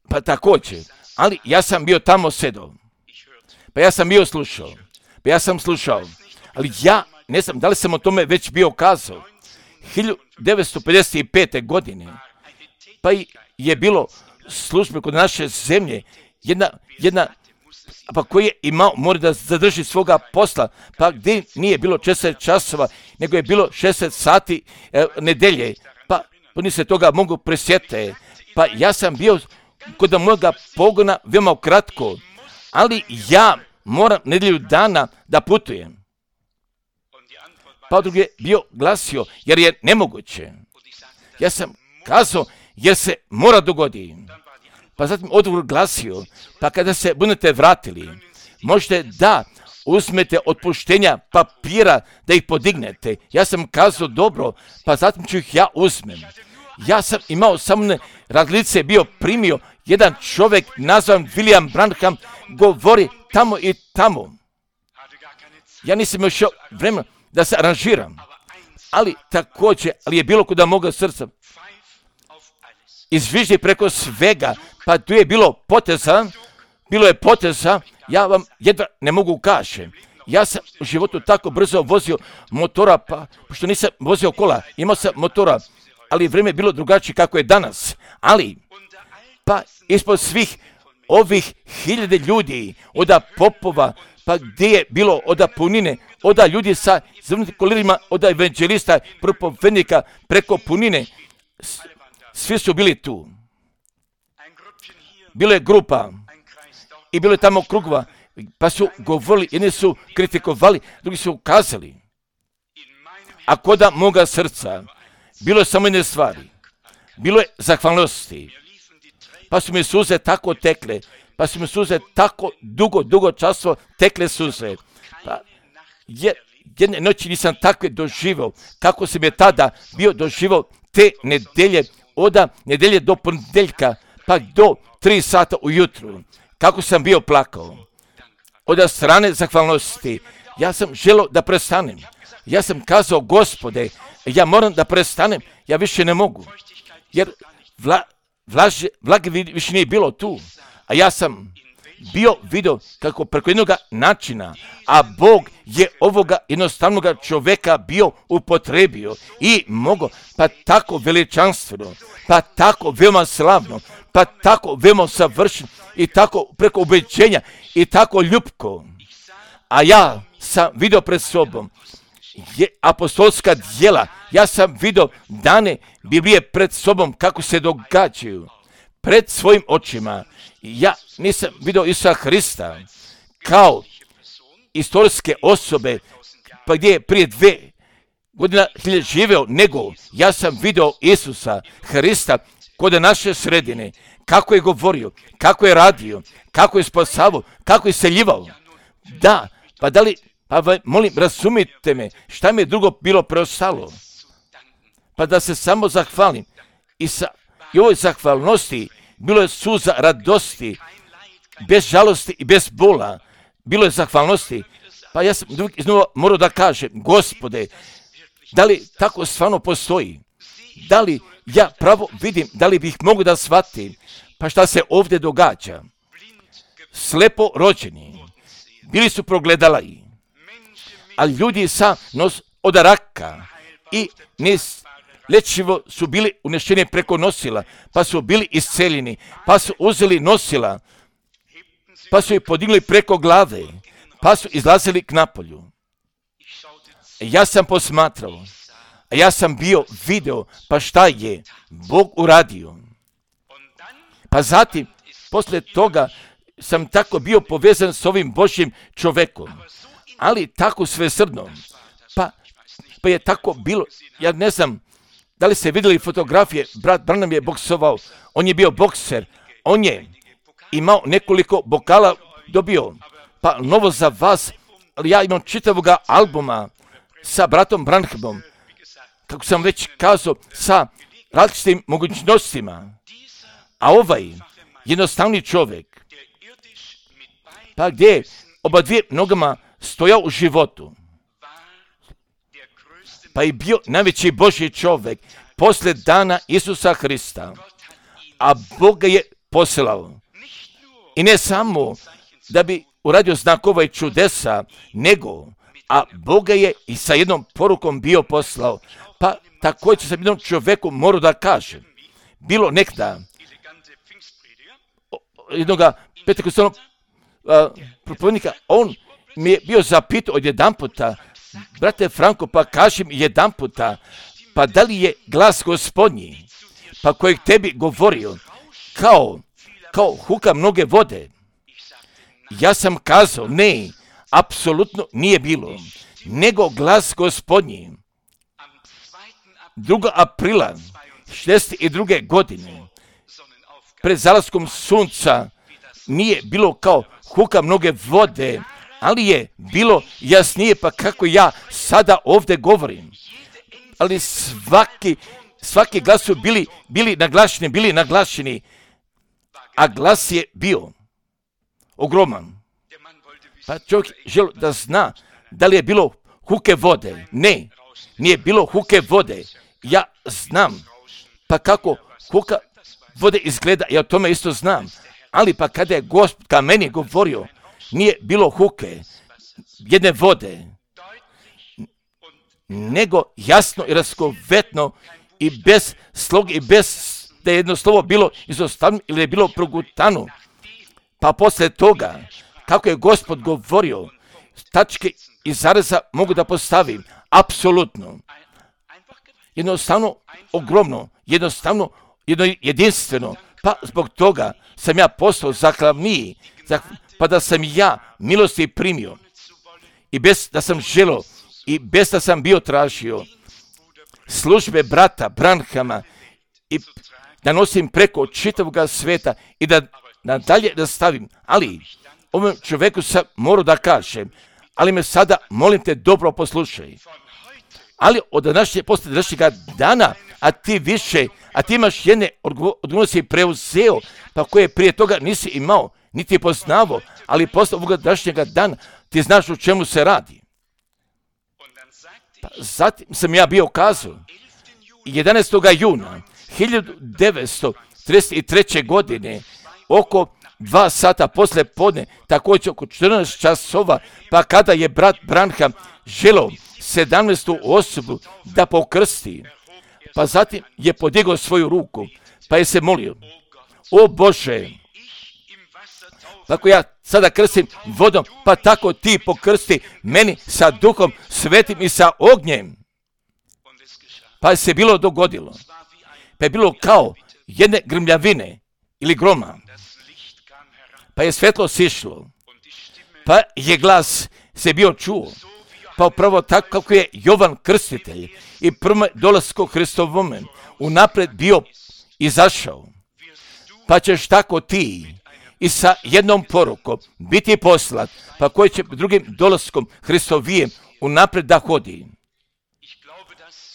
pa također, ali ja sam bio tamo sedao, pa ja sam bio slušao, ali ja ne znam da li sam o tome već bio kazao. 1955. godine, pa je bilo službe kod naše zemlje, jedna pa koji je imao, mora da zadrži svoga posla, pa gdje nije bilo 40 časova, nego je bilo 60 sati nedelje, pa oni se toga mogu presjetiti. Pa ja sam bio kod moga pogona veoma kratko, ali ja moram nedjelju dana da putujem. Pa drugi je bio glasio, jer je nemoguće. Ja sam kazao, jer se mora dogoditi. Pa zatim odgovor glasio, pa kada se budete vratili, možete da uzmete otpuštenja papira da ih podignete. Ja sam kazao dobro, pa zatim ću ih ja uzmem. Ja sam imao samo razlice, bio primio jedan čovjek nazvan William Branham, govori tamo i tamo. Ja nisam još vremena da se aranžiram, ali također, ali je bilo kuda moga srca. Izviždi preko svega, pa tu je bilo je poteza, ja vam jedva ne mogu kažem. Ja sam u životu tako brzo vozio motora, pa pošto nisam vozio kola, imao sam motora, ali vrijeme je bilo drugačije kako je danas. Ali, pa ispod svih ovih 1000 ljudi, od popova, pa gdje je bilo od punine, od ljudi sa zvrnutim kolirima, od evanđelista, propovednika, preko punine, svi su bili tu. Bilo je grupa i bilo je tamo krugova, pa su govorili, jedni su kritikovali, drugi su ukazali. A koda moga srca, bilo je samo jedne stvari, bilo je zahvalnosti, pa su mi suze tako tekle, pa su mi suze tako dugo časova tekle suze. Pa jedne noći nisam takve doživao, kako sam je tada bio doživao te nedelje, od nedelje do ponedjeljka, pa do 3 sata ujutru, kako sam bio plakao. Od strane zahvalnosti, ja sam želio da prestanem. Ja sam kazao, Gospode, ja moram da prestanem, ja više ne mogu, jer vlage više nije bilo tu, a ja sam bio vidio kako preko jednog načina, a Bog je ovoga jednostavnog čovjeka bio upotrebio i mogo, pa tako veličanstveno, pa tako veoma slavno, pa tako veoma savršeno i tako preko ubeđenja i tako ljubko. A ja sam vidio pred sobom apostolska djela, ja sam vidio dane Biblije pred sobom kako se događaju. Pred svojim očima. Ja nisam vidio Isusa Hrista kao istorijske osobe, pa gdje je prije godina živeo, nego ja sam video Isusa Hrista kod naše sredine, kako je govorio, kako je radio, kako je spasavao, kako je seljivao. Da, pa da li, molim, razumite me, šta mi je drugo bilo preostalo? Pa da se samo zahvalim. I ovoj zahvalnosti bilo je suza radosti, bez žalosti i bez bola. Bilo je zahvalnosti. Pa ja sam iznova morao da kažem, Gospode, da li tako stvarno postoji? Da li ja pravo vidim, da li bih mogu da shvatim? Pa šta se ovdje događa? Slepo rođeni, bili su progledali, a ljudi sa nos od raka i lečivo su bili unešeni preko nosila, pa su bili isceljeni, pa su uzeli nosila, pa su ih podigli preko glave, pa su izlazili k napolju. Ja sam posmatrao, a ja sam bio video, pa šta je Bog uradio. Pa zatim, poslije toga, sam tako bio povezan s ovim Božjim čovekom, ali tako svesrdno. Pa je tako bilo, ja ne znam, da li ste vidjeli fotografije, brat Branham je boksovao, on je bio bokser, on je imao nekoliko bokala dobio, pa novo za vas, ali ja imam čitavoga albuma sa bratom Branhamom, kako sam već kazao, sa različitim mogućnostima, a ovaj jednostavni čovjek, pa gdje je oba dvije nogama stojao u životu, pa je bio najveći Božji čovjek poslije dana Isusa Hrista, a Bog ga je poslao. I ne samo da bi uradio znakova i čudesa, nego, a Bog ga je i sa jednom porukom bio poslao. Pa također sam jednom čovjeku morao da kažem, bilo nekda jednoga pentekostalnog propovednika, on mi je bio zapitao od jedan puta, brate Franko, pa kaži mi jedan puta, pa da li je glas Gospodnji, pa kojeg tebi govorio, kao huka mnoge vode? Ja sam kazao, ne, apsolutno nije bilo, nego glas Gospodnji. 2. aprila 62. godine, pred zalaskom sunca, nije bilo kao huka mnoge vode, ali je bilo jasnije, pa kako ja sada ovdje govorim. Ali svaki glas su bili naglašeni, a glas je bio ogroman. Pa čovjek želio da zna da li je bilo huke vode. Ne, nije bilo huke vode. Ja znam, pa kako huka vode izgleda, ja o tome isto znam. Ali pa kada je Gospod ka meni govorio, nije bilo huke, jedne vode, nego jasno i raskovetno i bez slog i bez da je jedno slovo bilo izostavljeno ili je bilo progutano. Pa poslije toga, kako je Gospod govorio, tačke i zareza mogu da postavim, apsolutno. Jednostavno, ogromno, jednostavno, jedinstveno. Pa zbog toga sam ja postao zahvalniji, pa da sam ja milosti primio i bez da sam želio i bez da sam bio tražio službe brata Branhama i da nosim preko čitavoga sveta i da nadalje da stavim. Ali ovom čovjeku sam morao da kažem, ali me sada molim te dobro poslušaj. Ali poslije današnjega dana, a ti imaš jedne odgovornosti preuzeo, pa koje prije toga nisi imao, niti je poznavao, ali posle ovoga današnjega dana ti znaš o čemu se radi. Pa zatim sam ja bio kazao, 11. juna 1933. godine, oko 2 sata posle podne, također oko 14 časova, pa kada je brat Branham želeo 17. osobu da pokrsti, pa zatim je podigao svoju ruku, pa je se molio, o Bože, tako ja sada krstim vodom, pa tako ti pokrsti meni sa Duhom Svetim i sa ognjem. Pa je se bilo dogodilo. Pa je bilo kao jedne grmljavine ili groma. Pa je svetlo sišlo. Pa je glas se bio čuo. pa upravo tako kako je Jovan Krstitelj i prvom dolasku Hristovome unaprijed bio izašao, pa ćeš tako ti i sa jednom porukom biti poslat, pa koji će drugim dolaskom Hristovijem unaprijed da hodi.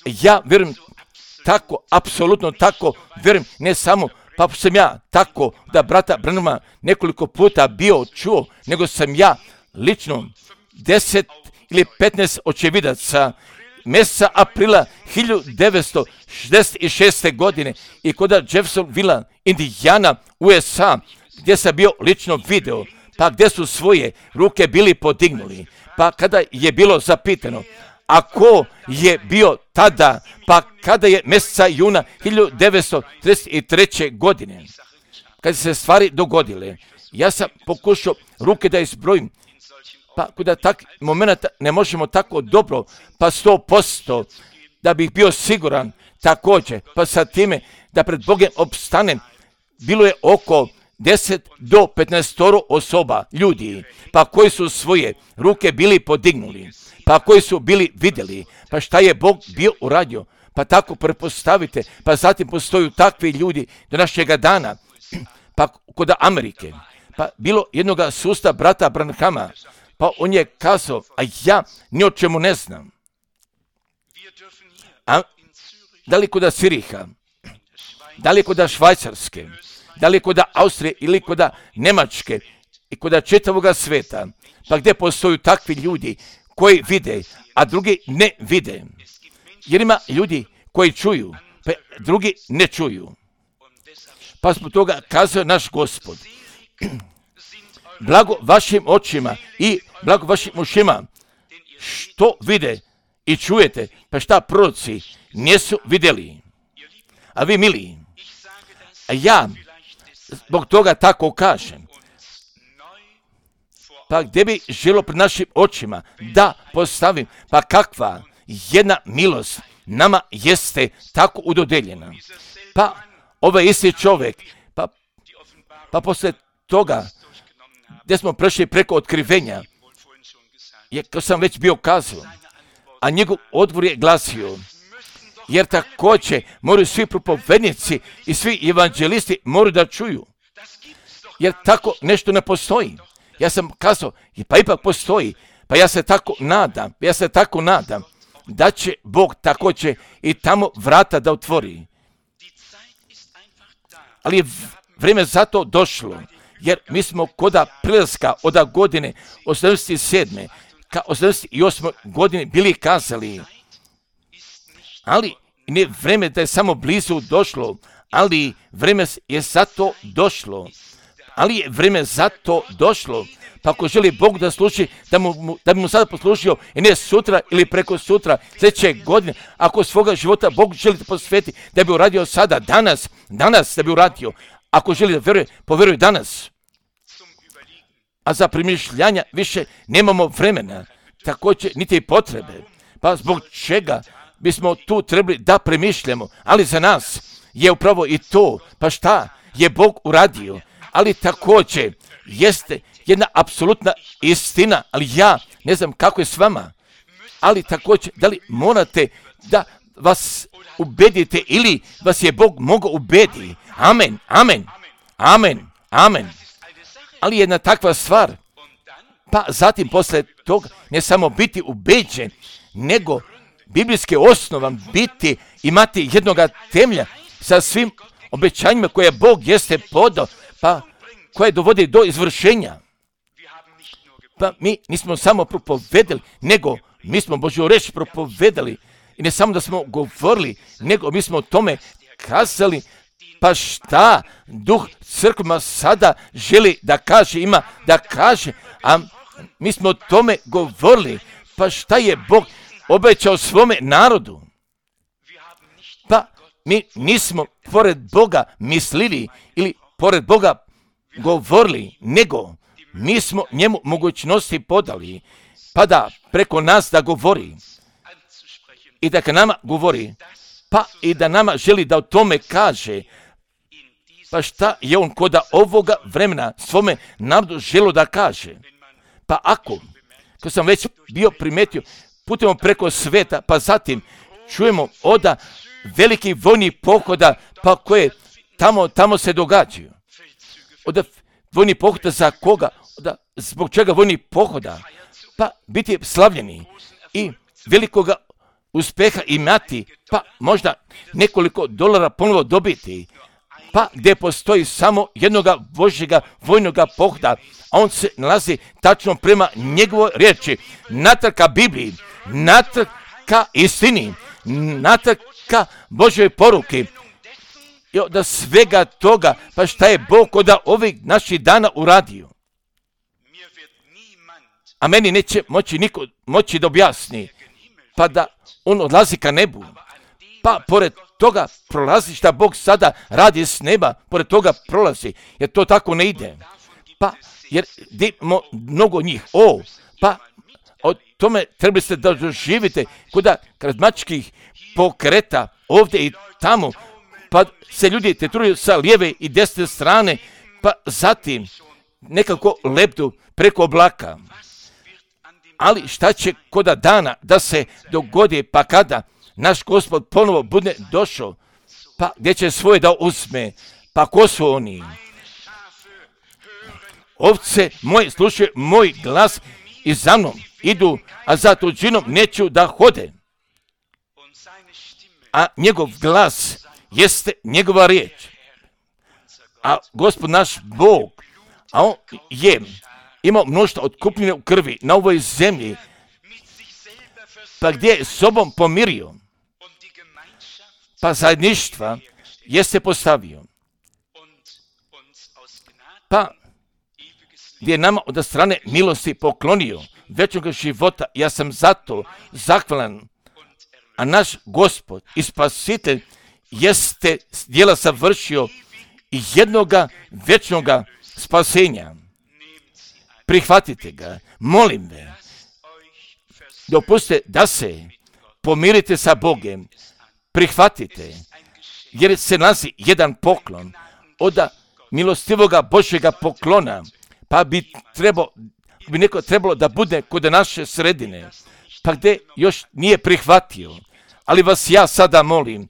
Ja vjerujem tako, apsolutno tako, vjerujem ne samo, pa sam ja tako da brata Branhama nekoliko puta bio čuo, nego sam ja lično 10 ili 15 očevidaca mjeseca aprila 1966. godine i kod Jeffersonville, Indijana, USA, gdje sam bio lično video, pa gdje su svoje ruke bili podignuli, pa kada je bilo zapitano, a ko je bio tada, pa kada je mjeseca juna 1933. godine, kada se stvari dogodile, ja sam pokušao ruke da izbrojim, pa kada tak momenta ne možemo tako dobro, pa 100%, da bih bio siguran također, pa sa time da pred Bogom opstanem, bilo je oko 10 do 15 osoba, ljudi, pa koji su svoje ruke bili podignuli, pa koji su bili vidjeli, pa šta je Bog bio uradio, pa tako prepostavite, pa zatim postoju takvi ljudi do našega dana, pa kod Amerike, pa bilo jednoga susta brata Branhama, pa on je kazao, a ja ni o čemu ne znam. A da li kod Siriha, da li kod Švajcarske, da li kod Austrije ili kod Njemačke i kod čitavoga sveta, pa gdje postoju takvi ljudi koji vide, a drugi ne vide. Jer ima ljudi koji čuju, pa drugi ne čuju. Pa zbog toga kazao naš Gospod, blago vašim očima i blago vašim ušima, što vide i čujete, pa šta proroci nisu vidjeli. A vi mili, a ja zbog toga tako kažem, pa gdje bi želo pred našim očima da postavim, pa kakva jedna milost nama jeste tako udodeljena. Pa ovaj isti čovjek, pa poslije toga gdje smo prešli preko otkrivenja, kao sam već bio kazao, a njegov odgovor je glasio, jer također moraju svi propovednici i svi evanđelisti moraju da čuju, jer tako nešto ne postoji. Ja sam kazao, pa ipak postoji, pa ja se tako nadam, da će Bog također i tamo vrata da otvori. Ali je vrijeme za to došlo, jer mi smo koda prilaska od godine 87. ka 88. godine bili kazali, ali ne vrijeme da je samo blizu došlo, ali vrijeme je za to došlo, pa ako želi Bog da služi, da bi mu sada poslužio i ne sutra ili preko sutra, sljedeće godine, ako svoga života Bog želi da posveti, da bi uradio sada, danas da bi uradio, ako želi da veruje, povjeruje danas. A za premišljanja više nemamo vremena, također niti potrebe, pa zbog čega bismo tu trebali da premišljamo, ali za nas je upravo i to, pa šta je Bog uradio, ali također jeste jedna apsolutna istina, ali ja ne znam kako je s vama, ali također da li morate da vas ubedite ili vas je Bog mogao ubediti. Amen. Ali jedna takva stvar, pa zatim posle toga ne samo biti ubeđen, nego biblijske osnovan biti, imati jednoga temelja sa svim obećanjima koje Bog jeste podao, pa koje dovodi do izvršenja. Pa mi nismo samo propovedali, nego mi smo Božju reč propovedali. I ne samo da smo govorili, nego mi smo o tome kazali, pa šta Duh crkvama sada želi da kaže, ima da kaže, a mi smo o tome govorili, pa šta je Bog obećao svome narodu. Pa mi nismo pored Boga mislili ili pored Boga govorili, nego mi smo njemu mogućnosti podali, pa da preko nas da govori i da ka nama govori, pa i da nama želi da o tome kaže, pa šta je on koda ovoga vremena svome narodu želo da kaže. Pa ako sam već bio primetio, putujemo preko sveta, pa zatim čujemo oda velikih vojnih pohoda, pa koje tamo se događaju. Od vojnih pohoda za koga? Zbog čega vojnih pohoda? Pa biti slavljeni i velikoga uspjeha imati, pa možda nekoliko dolara ponovo dobiti, pa gdje postoji samo jednoga Božjega vojnoga pohoda, a on se nalazi tačno prema njegovoj riječi, natrag ka Bibliji, natrag ka istini, natrag ka Božjoj poruki. I od svega toga, pa šta je Bog od ovih naših dana uradio? A meni neće niko moći da objasni, pa da on odlazi ka nebu. Pa pored toga prolazi šta Bog sada radi s neba, pored toga prolazi, jer to tako ne ide. Pa, jer mnogo njih, pa o tome trebali ste da doživite kuda karizmatičkih pokreta ovdje i tamo, pa se ljudi tetruju sa lijeve i desne strane, pa zatim nekako lebdu preko oblaka. Ali šta će koda dana da se dogodi, pa kada naš Gospod ponovo bude došao, pa gdje će svoje da uzme, pa ko su oni? Ovce moje slušaju moj glas i za mnom idu, a za tuđinom neću da hode. A njegov glas jeste njegova riječ. A Gospod naš Bog, a on je imao mnoštvo otkupljene u krvi na ovoj zemlji, pa gdje je sobom pomirio, pa zajedništva jeste postavio, pa gdje je nama od strane milosti poklonio večnog života. Ja sam zato zahvalan, a naš Gospod i Spasitelj jeste djela savršio i jednoga večnoga spasenja. Prihvatite ga, molim me, dopustite da se pomirite sa Bogom, prihvatite, jer se nalazi jedan poklon od milostivoga Božjega poklona, pa bi neko trebalo da bude kod naše sredine, pa gdje još nije prihvatio. Ali vas ja sada molim,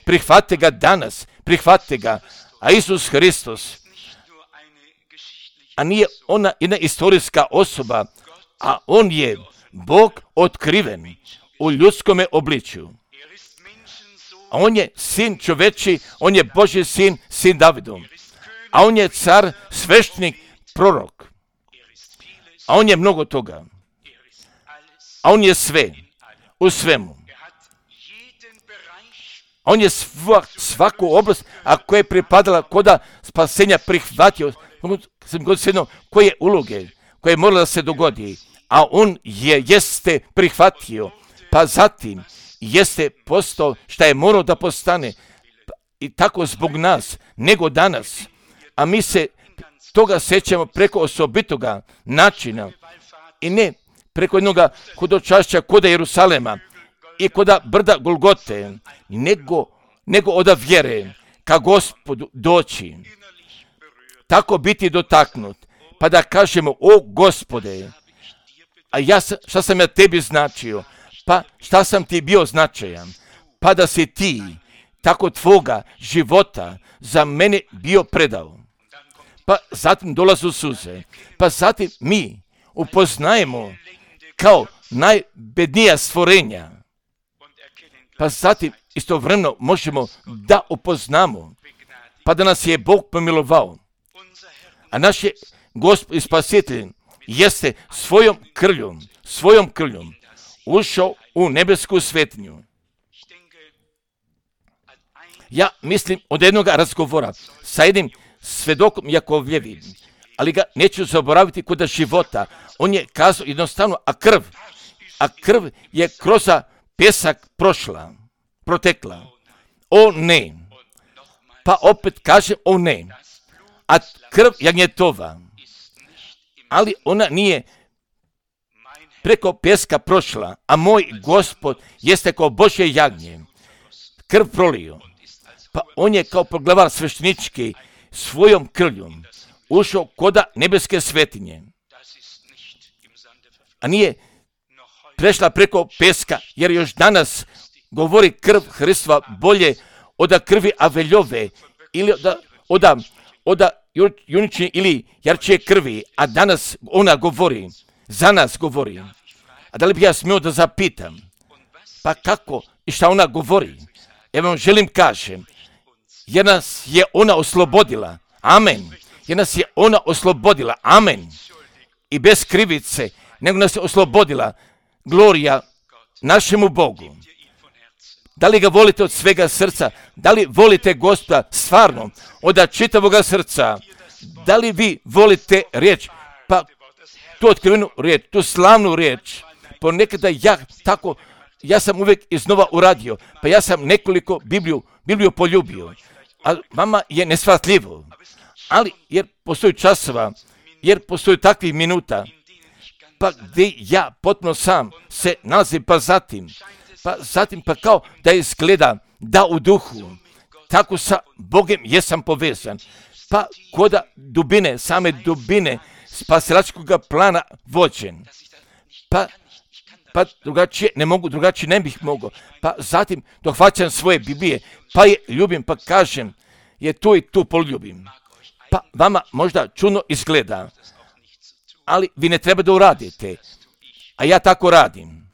prihvatite ga danas, prihvatite ga, a Isus Hristos, a nije ona jedna istorijska osoba, a on je Bog otkriven u ljudskome obličju. A on je sin čoveči, on je Božji sin, sin Davidov. A on je car, sveštenik, prorok. A on je mnogo toga. A on je sve, u svemu. A on je svaku oblast, a koja je pripadala koda spasenja prihvatio, koje uloge, koje je moralo da se dogodi. A on jeste prihvatio, pa zatim jeste postao šta je morao da postane, i tako zbog nas, nego danas. A mi se toga sećamo preko osobitoga načina i ne preko jednoga hodočašća koda Jerusalema i koda brda Golgote, nego od vjere ka Gospodu doći, tako biti dotaknut, pa da kažemo: o Gospode, a šta sam ja tebi značio, pa šta sam ti bio značajan, pa da si ti tako tvoga života za mene bio predao. Pa zatim dolazu suze, pa zatim mi upoznajemo kao najbednija stvorenja, pa zatim istovremeno možemo da upoznamo, pa da nas je Bog pomilovao. A naš je Gospod i Spasitelj jeste svojom krvljom ušao u nebesku svetinju. Ja mislim od jednog razgovora sa jednim svedokom Jakovljevim, ali ga neću zaboraviti kod života. On je kazao jednostavno, a krv je kroz pjesak protekla. O ne. Pa opet kaže o ne. A krv jagnjetova, ali ona nije preko pjeska prošla, a moj Gospod jeste kao Božje jagnje, krv prolio. Pa on je kao poglavar sveštenički svojom krvljom ušao koda nebeske svetinje. A nije prešla preko peska, jer još danas govori krv Hristova bolje od krvi Aveljove ili od junične ili jarčije krvi, a danas ona govori, za nas govori. A da li bi ja smio da zapitam, pa kako i šta ona govori? Evo vam želim kažem, jer nas je ona oslobodila, amen, jer nas je ona oslobodila, amen, i bez krivice, nego nas je oslobodila, glorija našemu Bogu. Da li ga volite od svega srca? Da li volite Gospoda stvarno od čitavoga srca? Da li vi volite riječ? Pa tu otkrivenu riječ, tu slavnu riječ. Ponekada ja sam uvijek iznova uradio, pa ja sam nekoliko Bibliju poljubio, a vama je neshvatljivo. Ali jer postoji časova, jer postoji takvih minuta, pa gdje ja potpuno sam se nalazim, pa zatim kao da izgleda da u duhu, tako sa Bogem jesam povezan, pa koda dubine, same dubine spasilačkog plana vođen, pa drugačije ne mogu, drugačije ne bih mogao, pa zatim dohvaćam svoje Biblije, pa je ljubim, pa kažem, je tu i tu poljubim. Pa vama možda čudno izgleda, ali vi ne treba da uradite, a ja tako radim.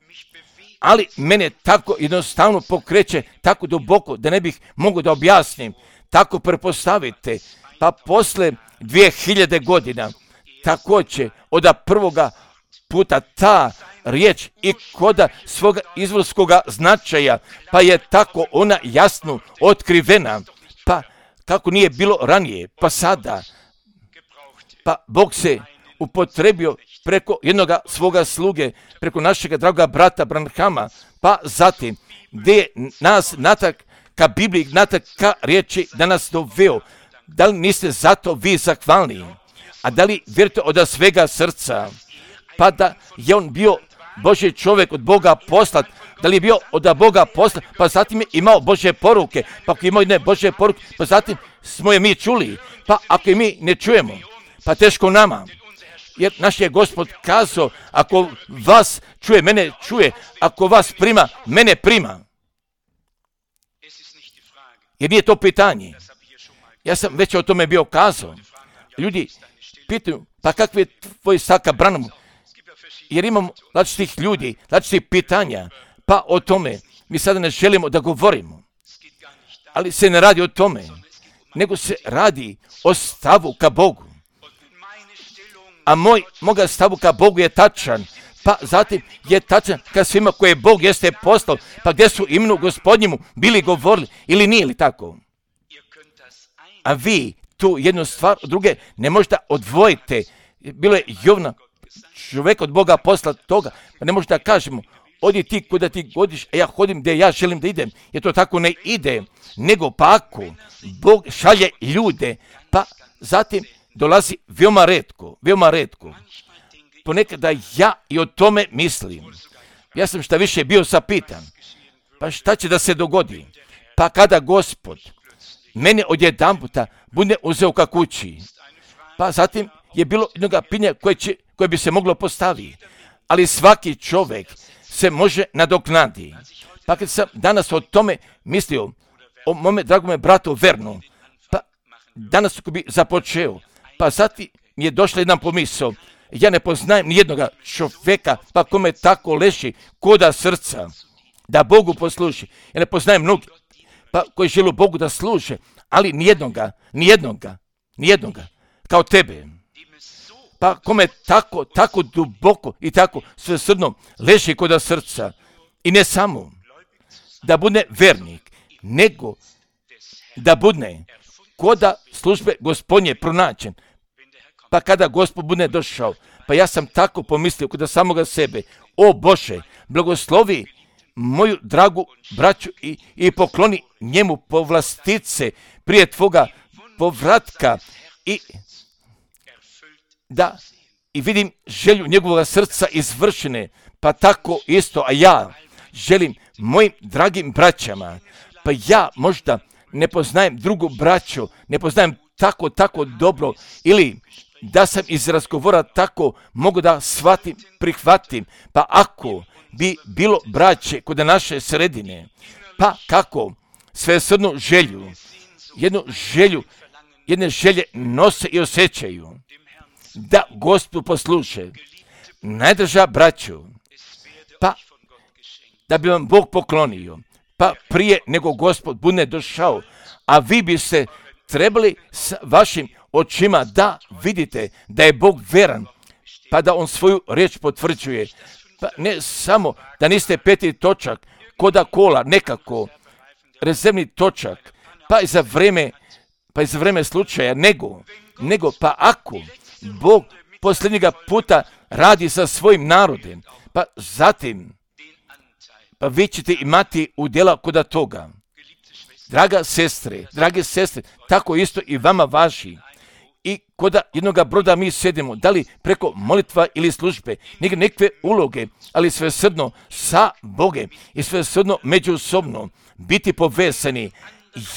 Ali mene tako jednostavno pokreće, tako duboko, da ne bih mogao da objasnim, tako prepostavite, pa posle 2000 godina, također od prvoga puta ta riječ i koda svoga izvorskoga značaja, pa je tako ona jasno otkrivena, pa kako nije bilo ranije, pa sada, pa Bog se upotrebio preko jednoga svoga sluge, preko našega draga brata Branhama, pa zatim gdje je nas natak ka Bibliji, natak ka riječi da nas doveo. Da li niste zato vi zahvalni? A da li vjerujete od svega srca? Pa da je on bio Božji čovjek od Boga poslat, da li je bio od Boga poslat, pa zatim je imao Božje poruke, pa ako je imao jedne Božje poruke, pa zatim smo je mi čuli, pa ako je mi ne čujemo, pa teško nama. Jer naš je Gospod kazao, ako vas čuje, mene čuje, ako vas prima, mene prima. Jer nije to pitanje. Ja sam već o tome bio kazao. Ljudi pitaju, pa kakvi je tvoj stav ka Branhamu? Jer imamo različitih ljudi, različitih pitanja, pa o tome mi sada ne želimo da govorimo. Ali se ne radi o tome, nego se radi o stavu ka Bogu. A moga stavu ka Bogu je tačan, pa zatim je tačan ka svima koje Bog jeste poslao, pa gdje su imenu Gospodnjemu bili govorili, ili nije li tako? A vi tu jednu stvar od druge ne možete odvojiti. Bilo je Jovna, čovjek od Boga posla toga, pa ne možete da kažemo, odi ti kuda ti godiš, a ja hodim gdje ja želim da idem, jer to tako ne ide, nego pa ako Bog šalje ljude, pa zatim dolazi veoma retko. Ponekada ja i o tome mislim. Ja sam šta više bio zapitan, pa šta će da se dogodi? Pa kada Gospod mene odjedanputa bude uzeo ka kući, pa zatim je bilo jednoga pitanja koje bi se moglo postaviti, ali svaki čovjek se može nadoknaditi. Pa kad sam danas o tome mislio, o mome dragome bratu Vernu, pa danas ko bi započeo, pa zatim mi je došla jedna pomisao, ja ne poznajem nijednoga čovjeka, pa kome tako leži koda srca, da Bogu posluži. Ja ne poznajem mnogi, pa koji žele Bogu da služe, ali nijednoga, kao tebe. Pa kome tako duboko i tako svesrdno leži koda srca. I ne samo da bude vernik, nego da bude koda službe Gospodnje pronađen. Pa kada Gospod bude došao, pa ja sam tako pomislio kod samoga sebe, o Bože, blagoslovi moju dragu braću i pokloni njemu povlastice prije tvoga povratka i vidim želju njegovog srca izvršene, pa tako isto, a ja želim mojim dragim braćama, pa ja možda ne poznajem drugu braću, ne poznajem tako dobro, ili da sam iz razgovora tako mogu da shvatim, prihvatim, pa ako bi bilo braće kod naše sredine, pa kako svesrdnu želju, jedne želje nose i osjećaju, da Gospodu posluše, najdraža braćo, pa da bi vam Bog poklonio, pa prije nego Gospod bude došao, a vi biste trebali s vašim očima da vidite da je Bog veran, pa da On svoju riječ potvrđuje, pa ne samo da niste peti točak, koda kola, nekako, rezervni točak, pa i za vrijeme slučaja, nego pa ako Bog posljednjega puta radi sa svojim narodom, pa zatim, pa vi ćete imati udjela koda toga. Drage sestre, tako isto i vama važi. I koda jednoga broda mi sedimo, da li preko molitva ili službe, nekakve uloge, ali svesrdno sa Bogem i svesrdno međusobno biti povezani.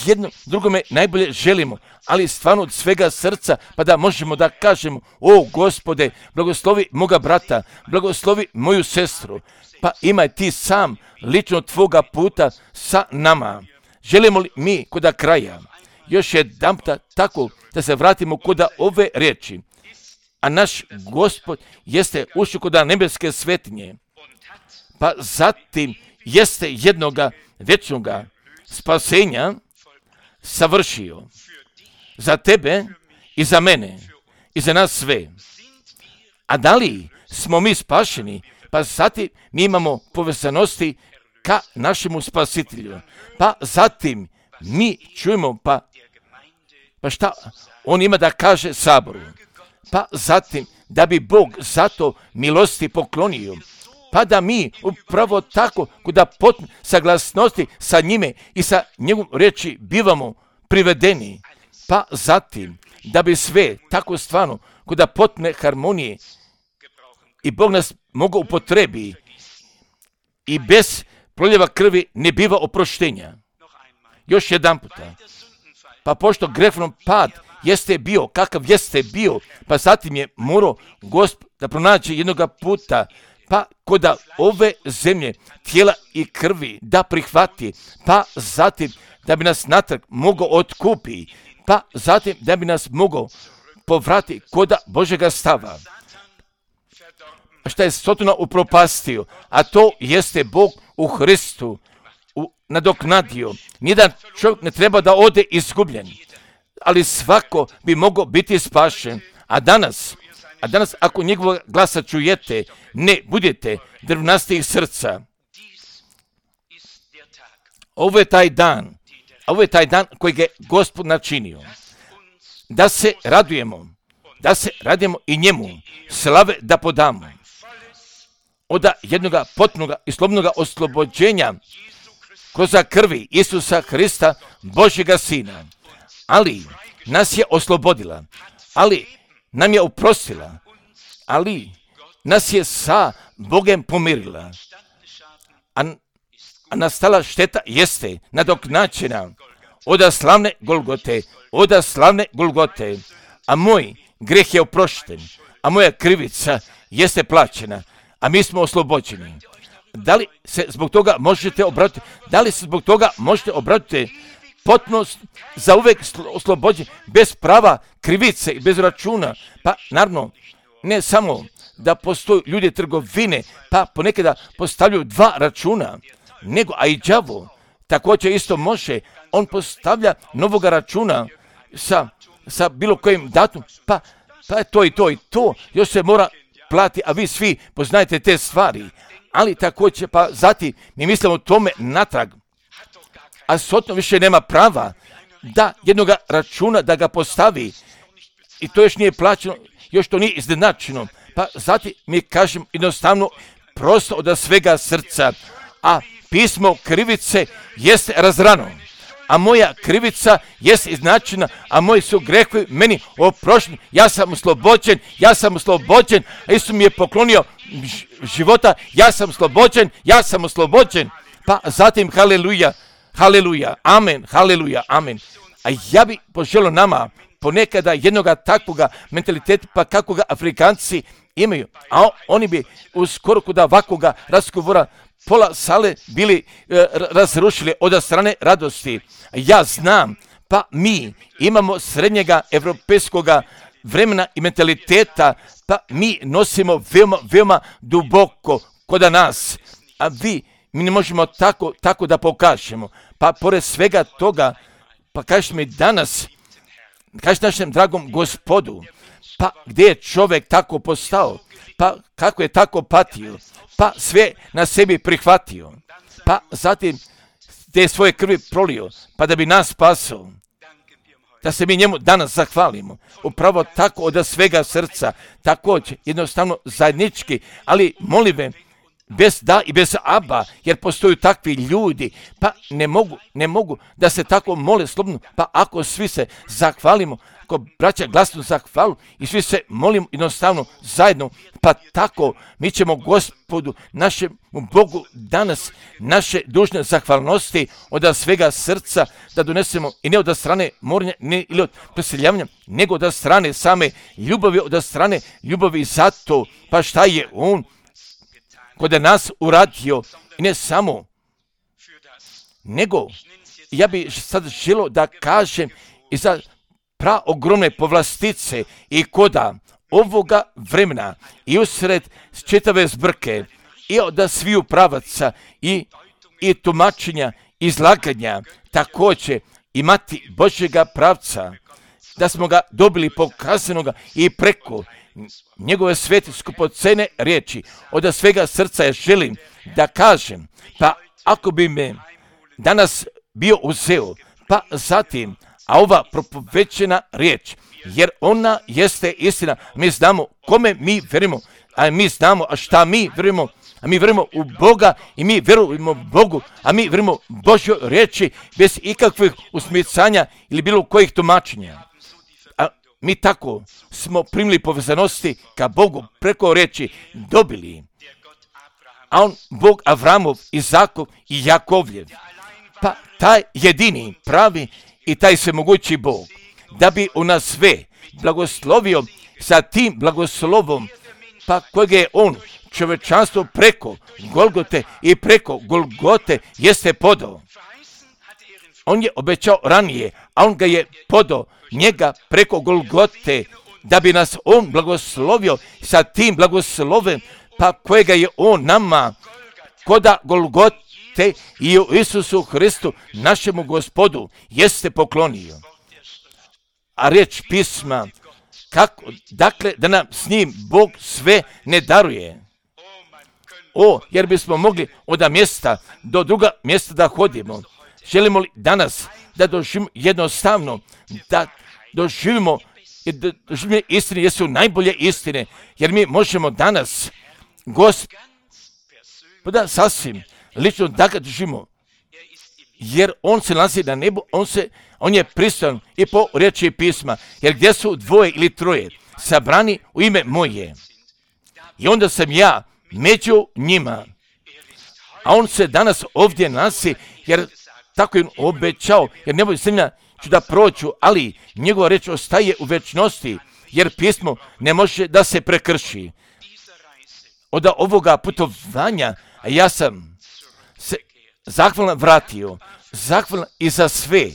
Jedno drugome najbolje želimo, ali stvarno od svega srca, pa da možemo da kažemo, o Gospode, blagoslovi moga brata, blagoslovi moju sestru, pa imaj ti sam lično tvoga puta sa nama. Želimo li mi koda kraja još jedanputa tako da se vratimo koda ove riječi, a naš Gospod jeste ušao koda nebeske svetinje, pa zatim jeste jednoga vječnoga spasenja savršio za tebe i za mene i za nas sve. A da li smo mi spašeni? Pa zatim mi imamo povezanosti ka našemu spasitelju. Pa zatim mi čujemo pa šta on ima da kaže saboru. Pa zatim da bi Bog zato milosti poklonio. Pa da mi upravo tako kuda potne saglasnosti sa njime i sa njegovom riječi bivamo privedeni. Pa zatim da bi sve tako stvarno kuda potne harmonije i Bog nas mogao upotrebi i bez proljeva krvi ne biva oproštenja. Još jedan puta. Pa pošto grehom pad jeste bio, kakav jeste bio, pa zatim je morao Gospod da pronađe jednoga puta, pa koda ove zemlje, tijela i krvi da prihvati, pa zatim da bi nas natrag mogao otkupi, pa zatim da bi nas mogao povrati koda Božega stava. Šta je Sotona upropastio, a to jeste Bog u Hristu nadoknadio. Nijedan čovjek ne treba da ode izgubljen, ali svako bi mogao biti spašen. A danas ako njegovog glasa čujete, ne budete drvnastih srca. Ovo je taj dan kojeg je Gospod načinio. Da se radujemo i njemu slave da podamo. Od jednoga potpunoga i slobodnoga oslobođenja kroz krvi Isusa Hrista, Božjega Sina. Ali nas je oslobodila, ali nam je oprostila, ali nas je sa Bogem pomirila. A nastala šteta jeste nadoknađena od slavne Golgote, a moj greh je oprošten, a moja krivica jeste plaćena, a mi smo oslobođeni. Da li se zbog toga možete obratiti? Potpuno za uvek oslobođen, bez prava krivice i bez računa. Pa naravno, ne samo da postoji ljudi trgovine, pa ponekada postavljaju 2 računa, nego, a i đavo također isto može, on postavlja novoga računa sa bilo kojim datum, pa to i to, još se mora plati, a vi svi poznajete te stvari, ali također, pa zatim mi mislimo tome natrag, a Sotno više nema prava da jednoga računa da ga postavi i to još nije plaćeno, još to nije iznenačeno, pa zatim mi kažem jednostavno prosto od svega srca, a pismo krivice jeste razrano, a moja krivica jeste iznačena, a moji su grehovi meni oprošteni, ja sam oslobođen, a Isus mi je poklonio života, ja sam oslobođen, pa zatim haleluja, amen. A ja bih poželio nama ponekada jednoga takvoga mentaliteta, pa kako ga Afrikanci imaju, a oni bi u skoro kod ovakvoga razgovora pola sale bili razrušili od strane radosti. Ja znam, pa mi imamo srednjega evropejskoga vremena i mentaliteta, pa mi nosimo veoma duboko kod nas, a mi ne možemo tako da pokažemo. Pa pored svega toga, pa kažeš mi danas, kažeš našem dragom Gospodu, pa gdje je čovjek tako postao, pa kako je tako patio, pa sve na sebi prihvatio, pa zatim te svoje krvi prolio, pa da bi nas spasao, da se mi njemu danas zahvalimo. Upravo tako od svega srca, također jednostavno zajednički, ali molive, bez da i bez aba, jer postoju takvi ljudi, pa ne mogu da se tako mole slobodno, pa ako svi se zahvalimo, ako braća glasno zahvalu i svi se molimo jednostavno zajedno, pa tako mi ćemo Gospodu, našem Bogu danas naše dužne zahvalnosti od svega srca da donesemo i ne od strane morenja ili od preseljavanja, nego od strane same ljubavi, od strane ljubavi zato, pa šta je on kod nas uradio i ne samo, nego ja bih sad želio da kažem i za praogromne povlastice i koda ovoga vremena i usred čitave zbrke i od sviju pravaca i tumačenja, izlaganja, također imati Božjega pravca, da smo ga dobili pokazanoga i preko njegove svete skupocene riječi. Od svega srca ja želim da kažem, pa ako bi me danas bio uzeo, pa zatim, a ova propovećena riječ, jer ona jeste istina, mi znamo kome mi verimo, a mi znamo šta mi verimo, a mi verimo u Boga i mi verujemo Bogu, a mi verimo Božjoj riječi bez ikakvih usmicanja ili bilo kojih tumačenja. A mi tako smo primili povezanosti ka Bogu preko riječi dobili. A on, Bog Avramov, Izakov i Jakovljev, pa taj jedini, pravi i taj svemogući Bog, da bi u nas sve blagoslovio sa tim blagoslovom, pa kojeg je on čovečanstvo preko Golgote i preko Golgote jeste podao. On je obećao ranije, a on ga je podao njega preko Golgote, da bi nas on blagoslovio sa tim blagoslovem, pa kojega je on nama koda Golgote i u Isusu Hristu, našemu Gospodu, jeste poklonio. A riječ pisma, kako, dakle, da nam s njim Bog sve ne daruje. Jer bismo mogli od mjesta do druga mjesta da hodimo. Želimo li danas da doživimo jednostavno, da doživimo istine, jesu najbolje istine, jer mi možemo danas Gospoda sasvim lično da ga doživimo, jer on se nalazi na nebu, on je pristojan i po riječi pisma, jer gdje su dvoje ili troje sabrani u ime moje, i onda sam ja među njima. A on se danas ovdje nalazi, jer tako je on obećao, jer neboj zemlja ću da prođu, ali njegova reč ostaje u večnosti, jer pismo ne može da se prekrši. Od ovoga putovanja ja sam se zahvalan vratio, zahvalan i za sve.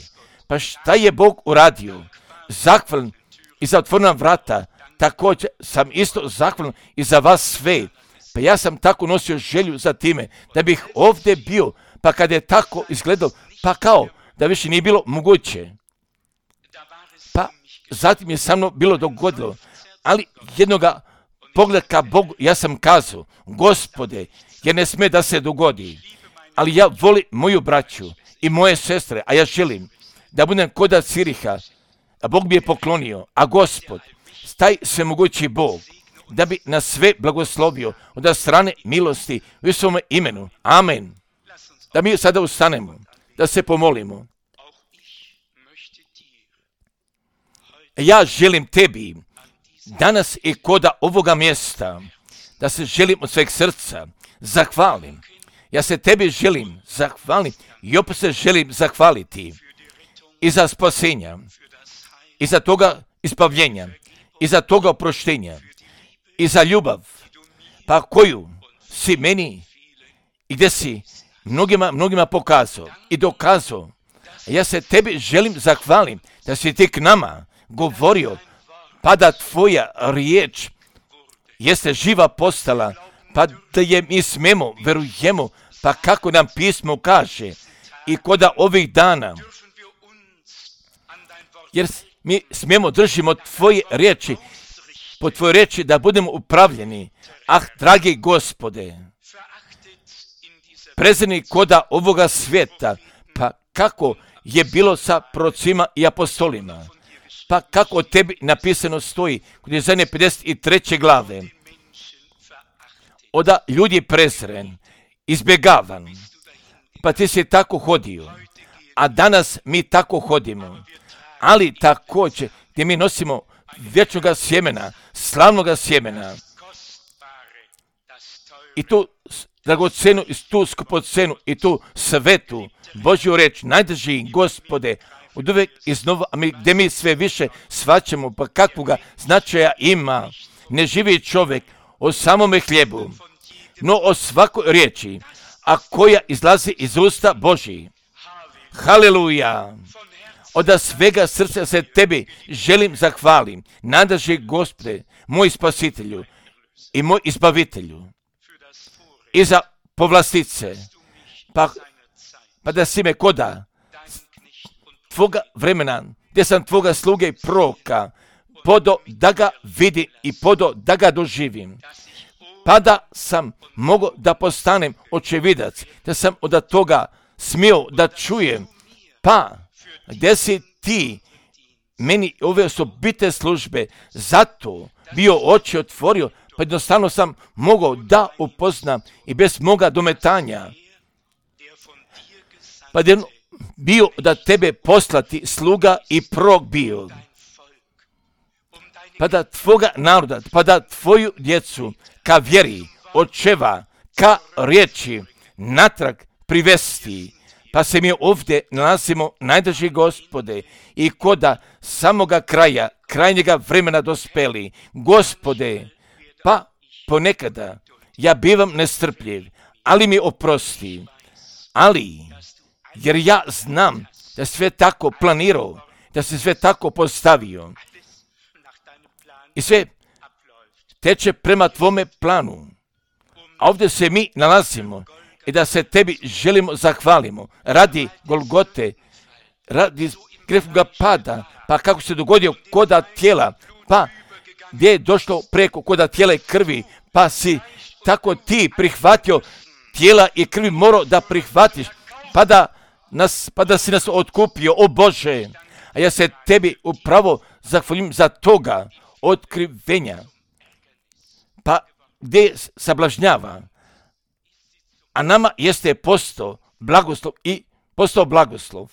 Pa šta je Bog uradio? Zahvalan i za otvorena vrata, također sam isto zahvalan i za vas sve. Pa ja sam tako nosio želju za time, da bih ovdje bio, pa kad je tako izgledao, pa kao da više nije bilo moguće. Pa zatim je sa mnom bilo dogodilo, ali jednoga pogleda ka Bogu, ja sam kazao, Gospode, jer ne sme da se dogodi, ali ja volim moju braću i moje sestre, a ja želim da budem koda Ciriha, a Bog mi je poklonio, a Gospod, taj svemogući Bog, da bi nas sve blagoslovio od strane milosti u svome imenu. Amen. Da mi sada ustanemo, da se pomolimo. Ja želim tebi danas i koda ovoga mjesta, da se želim od sveg srca zahvalim. Ja se tebi želim zahvaliti i opet se želim zahvaliti i za spasenja i za toga ispavljenja, i za toga oproštenja, i za ljubav, pa koju si meni i gdje si mnogima pokazao i dokazao. Ja se tebi želim zahvalim da si ti k nama govorio, pa da tvoja riječ jeste živa postala, pa da je mi smemo, verujemo, pa kako nam pismo kaže, i koda ovih dana, jer mi smemo držimo tvoje riječi, po tvoje riječi da budemo upravljeni. Dragi Gospode, prezreni koda ovoga svijeta, pa kako je bilo sa prorocima i apostolima, pa kako o tebi napisano stoji kod Jesaje 53. glave, oda ljudi prezren, izbjegavan, pa ti si tako hodio, a danas mi tako hodimo, ali također gdje mi nosimo vječnoga sjemena, slavnoga sjemena, i tu dragocenu, i tu skupocenu, i tu svetu Božju reč, najdrži Gospode, od uvijek iznova, gdje mi sve više shvaćamo, pa kakvoga značaja ima, ne živi čovjek o samome hljebu, no o svakoj riječi, a koja izlazi iz usta Božji. Haleluja! Od svega srca se tebi želim zahvalim, najdrži Gospode, moj spasitelju i moj izbavitelju, i za povlastice, pa da si me koda tvoga vremena, gdje sam tvoga sluge i proroka, podo da ga vidim i podo da ga doživim, pa da sam mogao da postanem očevidac, da sam od toga smio da čujem, pa gdje si ti meni ove osobite službe, zato bio oči otvorio, pa jednostavno sam mogao da upoznam i bez moga dometanja, pa je bio da tebe poslati sluga i prorok bio, pa da tvoga naroda, pa da tvoju djecu ka vjeri, očeva, ka riječi natrag privesti, pa se mi ovdje nalazimo, najdrži Gospode, i koda samoga kraja, krajnjega vremena dospeli. Gospode, pa ponekada ja bivam nestrpljiv, ali mi oprosti, ali jer ja znam da sve tako planirao, da se sve tako postavio i sve teče prema tvome planu. A ovdje se mi nalazimo i da se tebi želimo zahvalimo radi Golgote, radi grehova pada, pa kako se dogodio koda tijela, pa gdje je došlo preko koda tijela i krvi, pa si tako ti prihvatio tijela i krvi morao da prihvatiš, pa da si nas otkupio, o Bože. A ja se tebi upravo zahvaljujem za toga otkrivenja, pa gdje sablažnjava, a nama jeste postao blagoslov i postao blagoslov.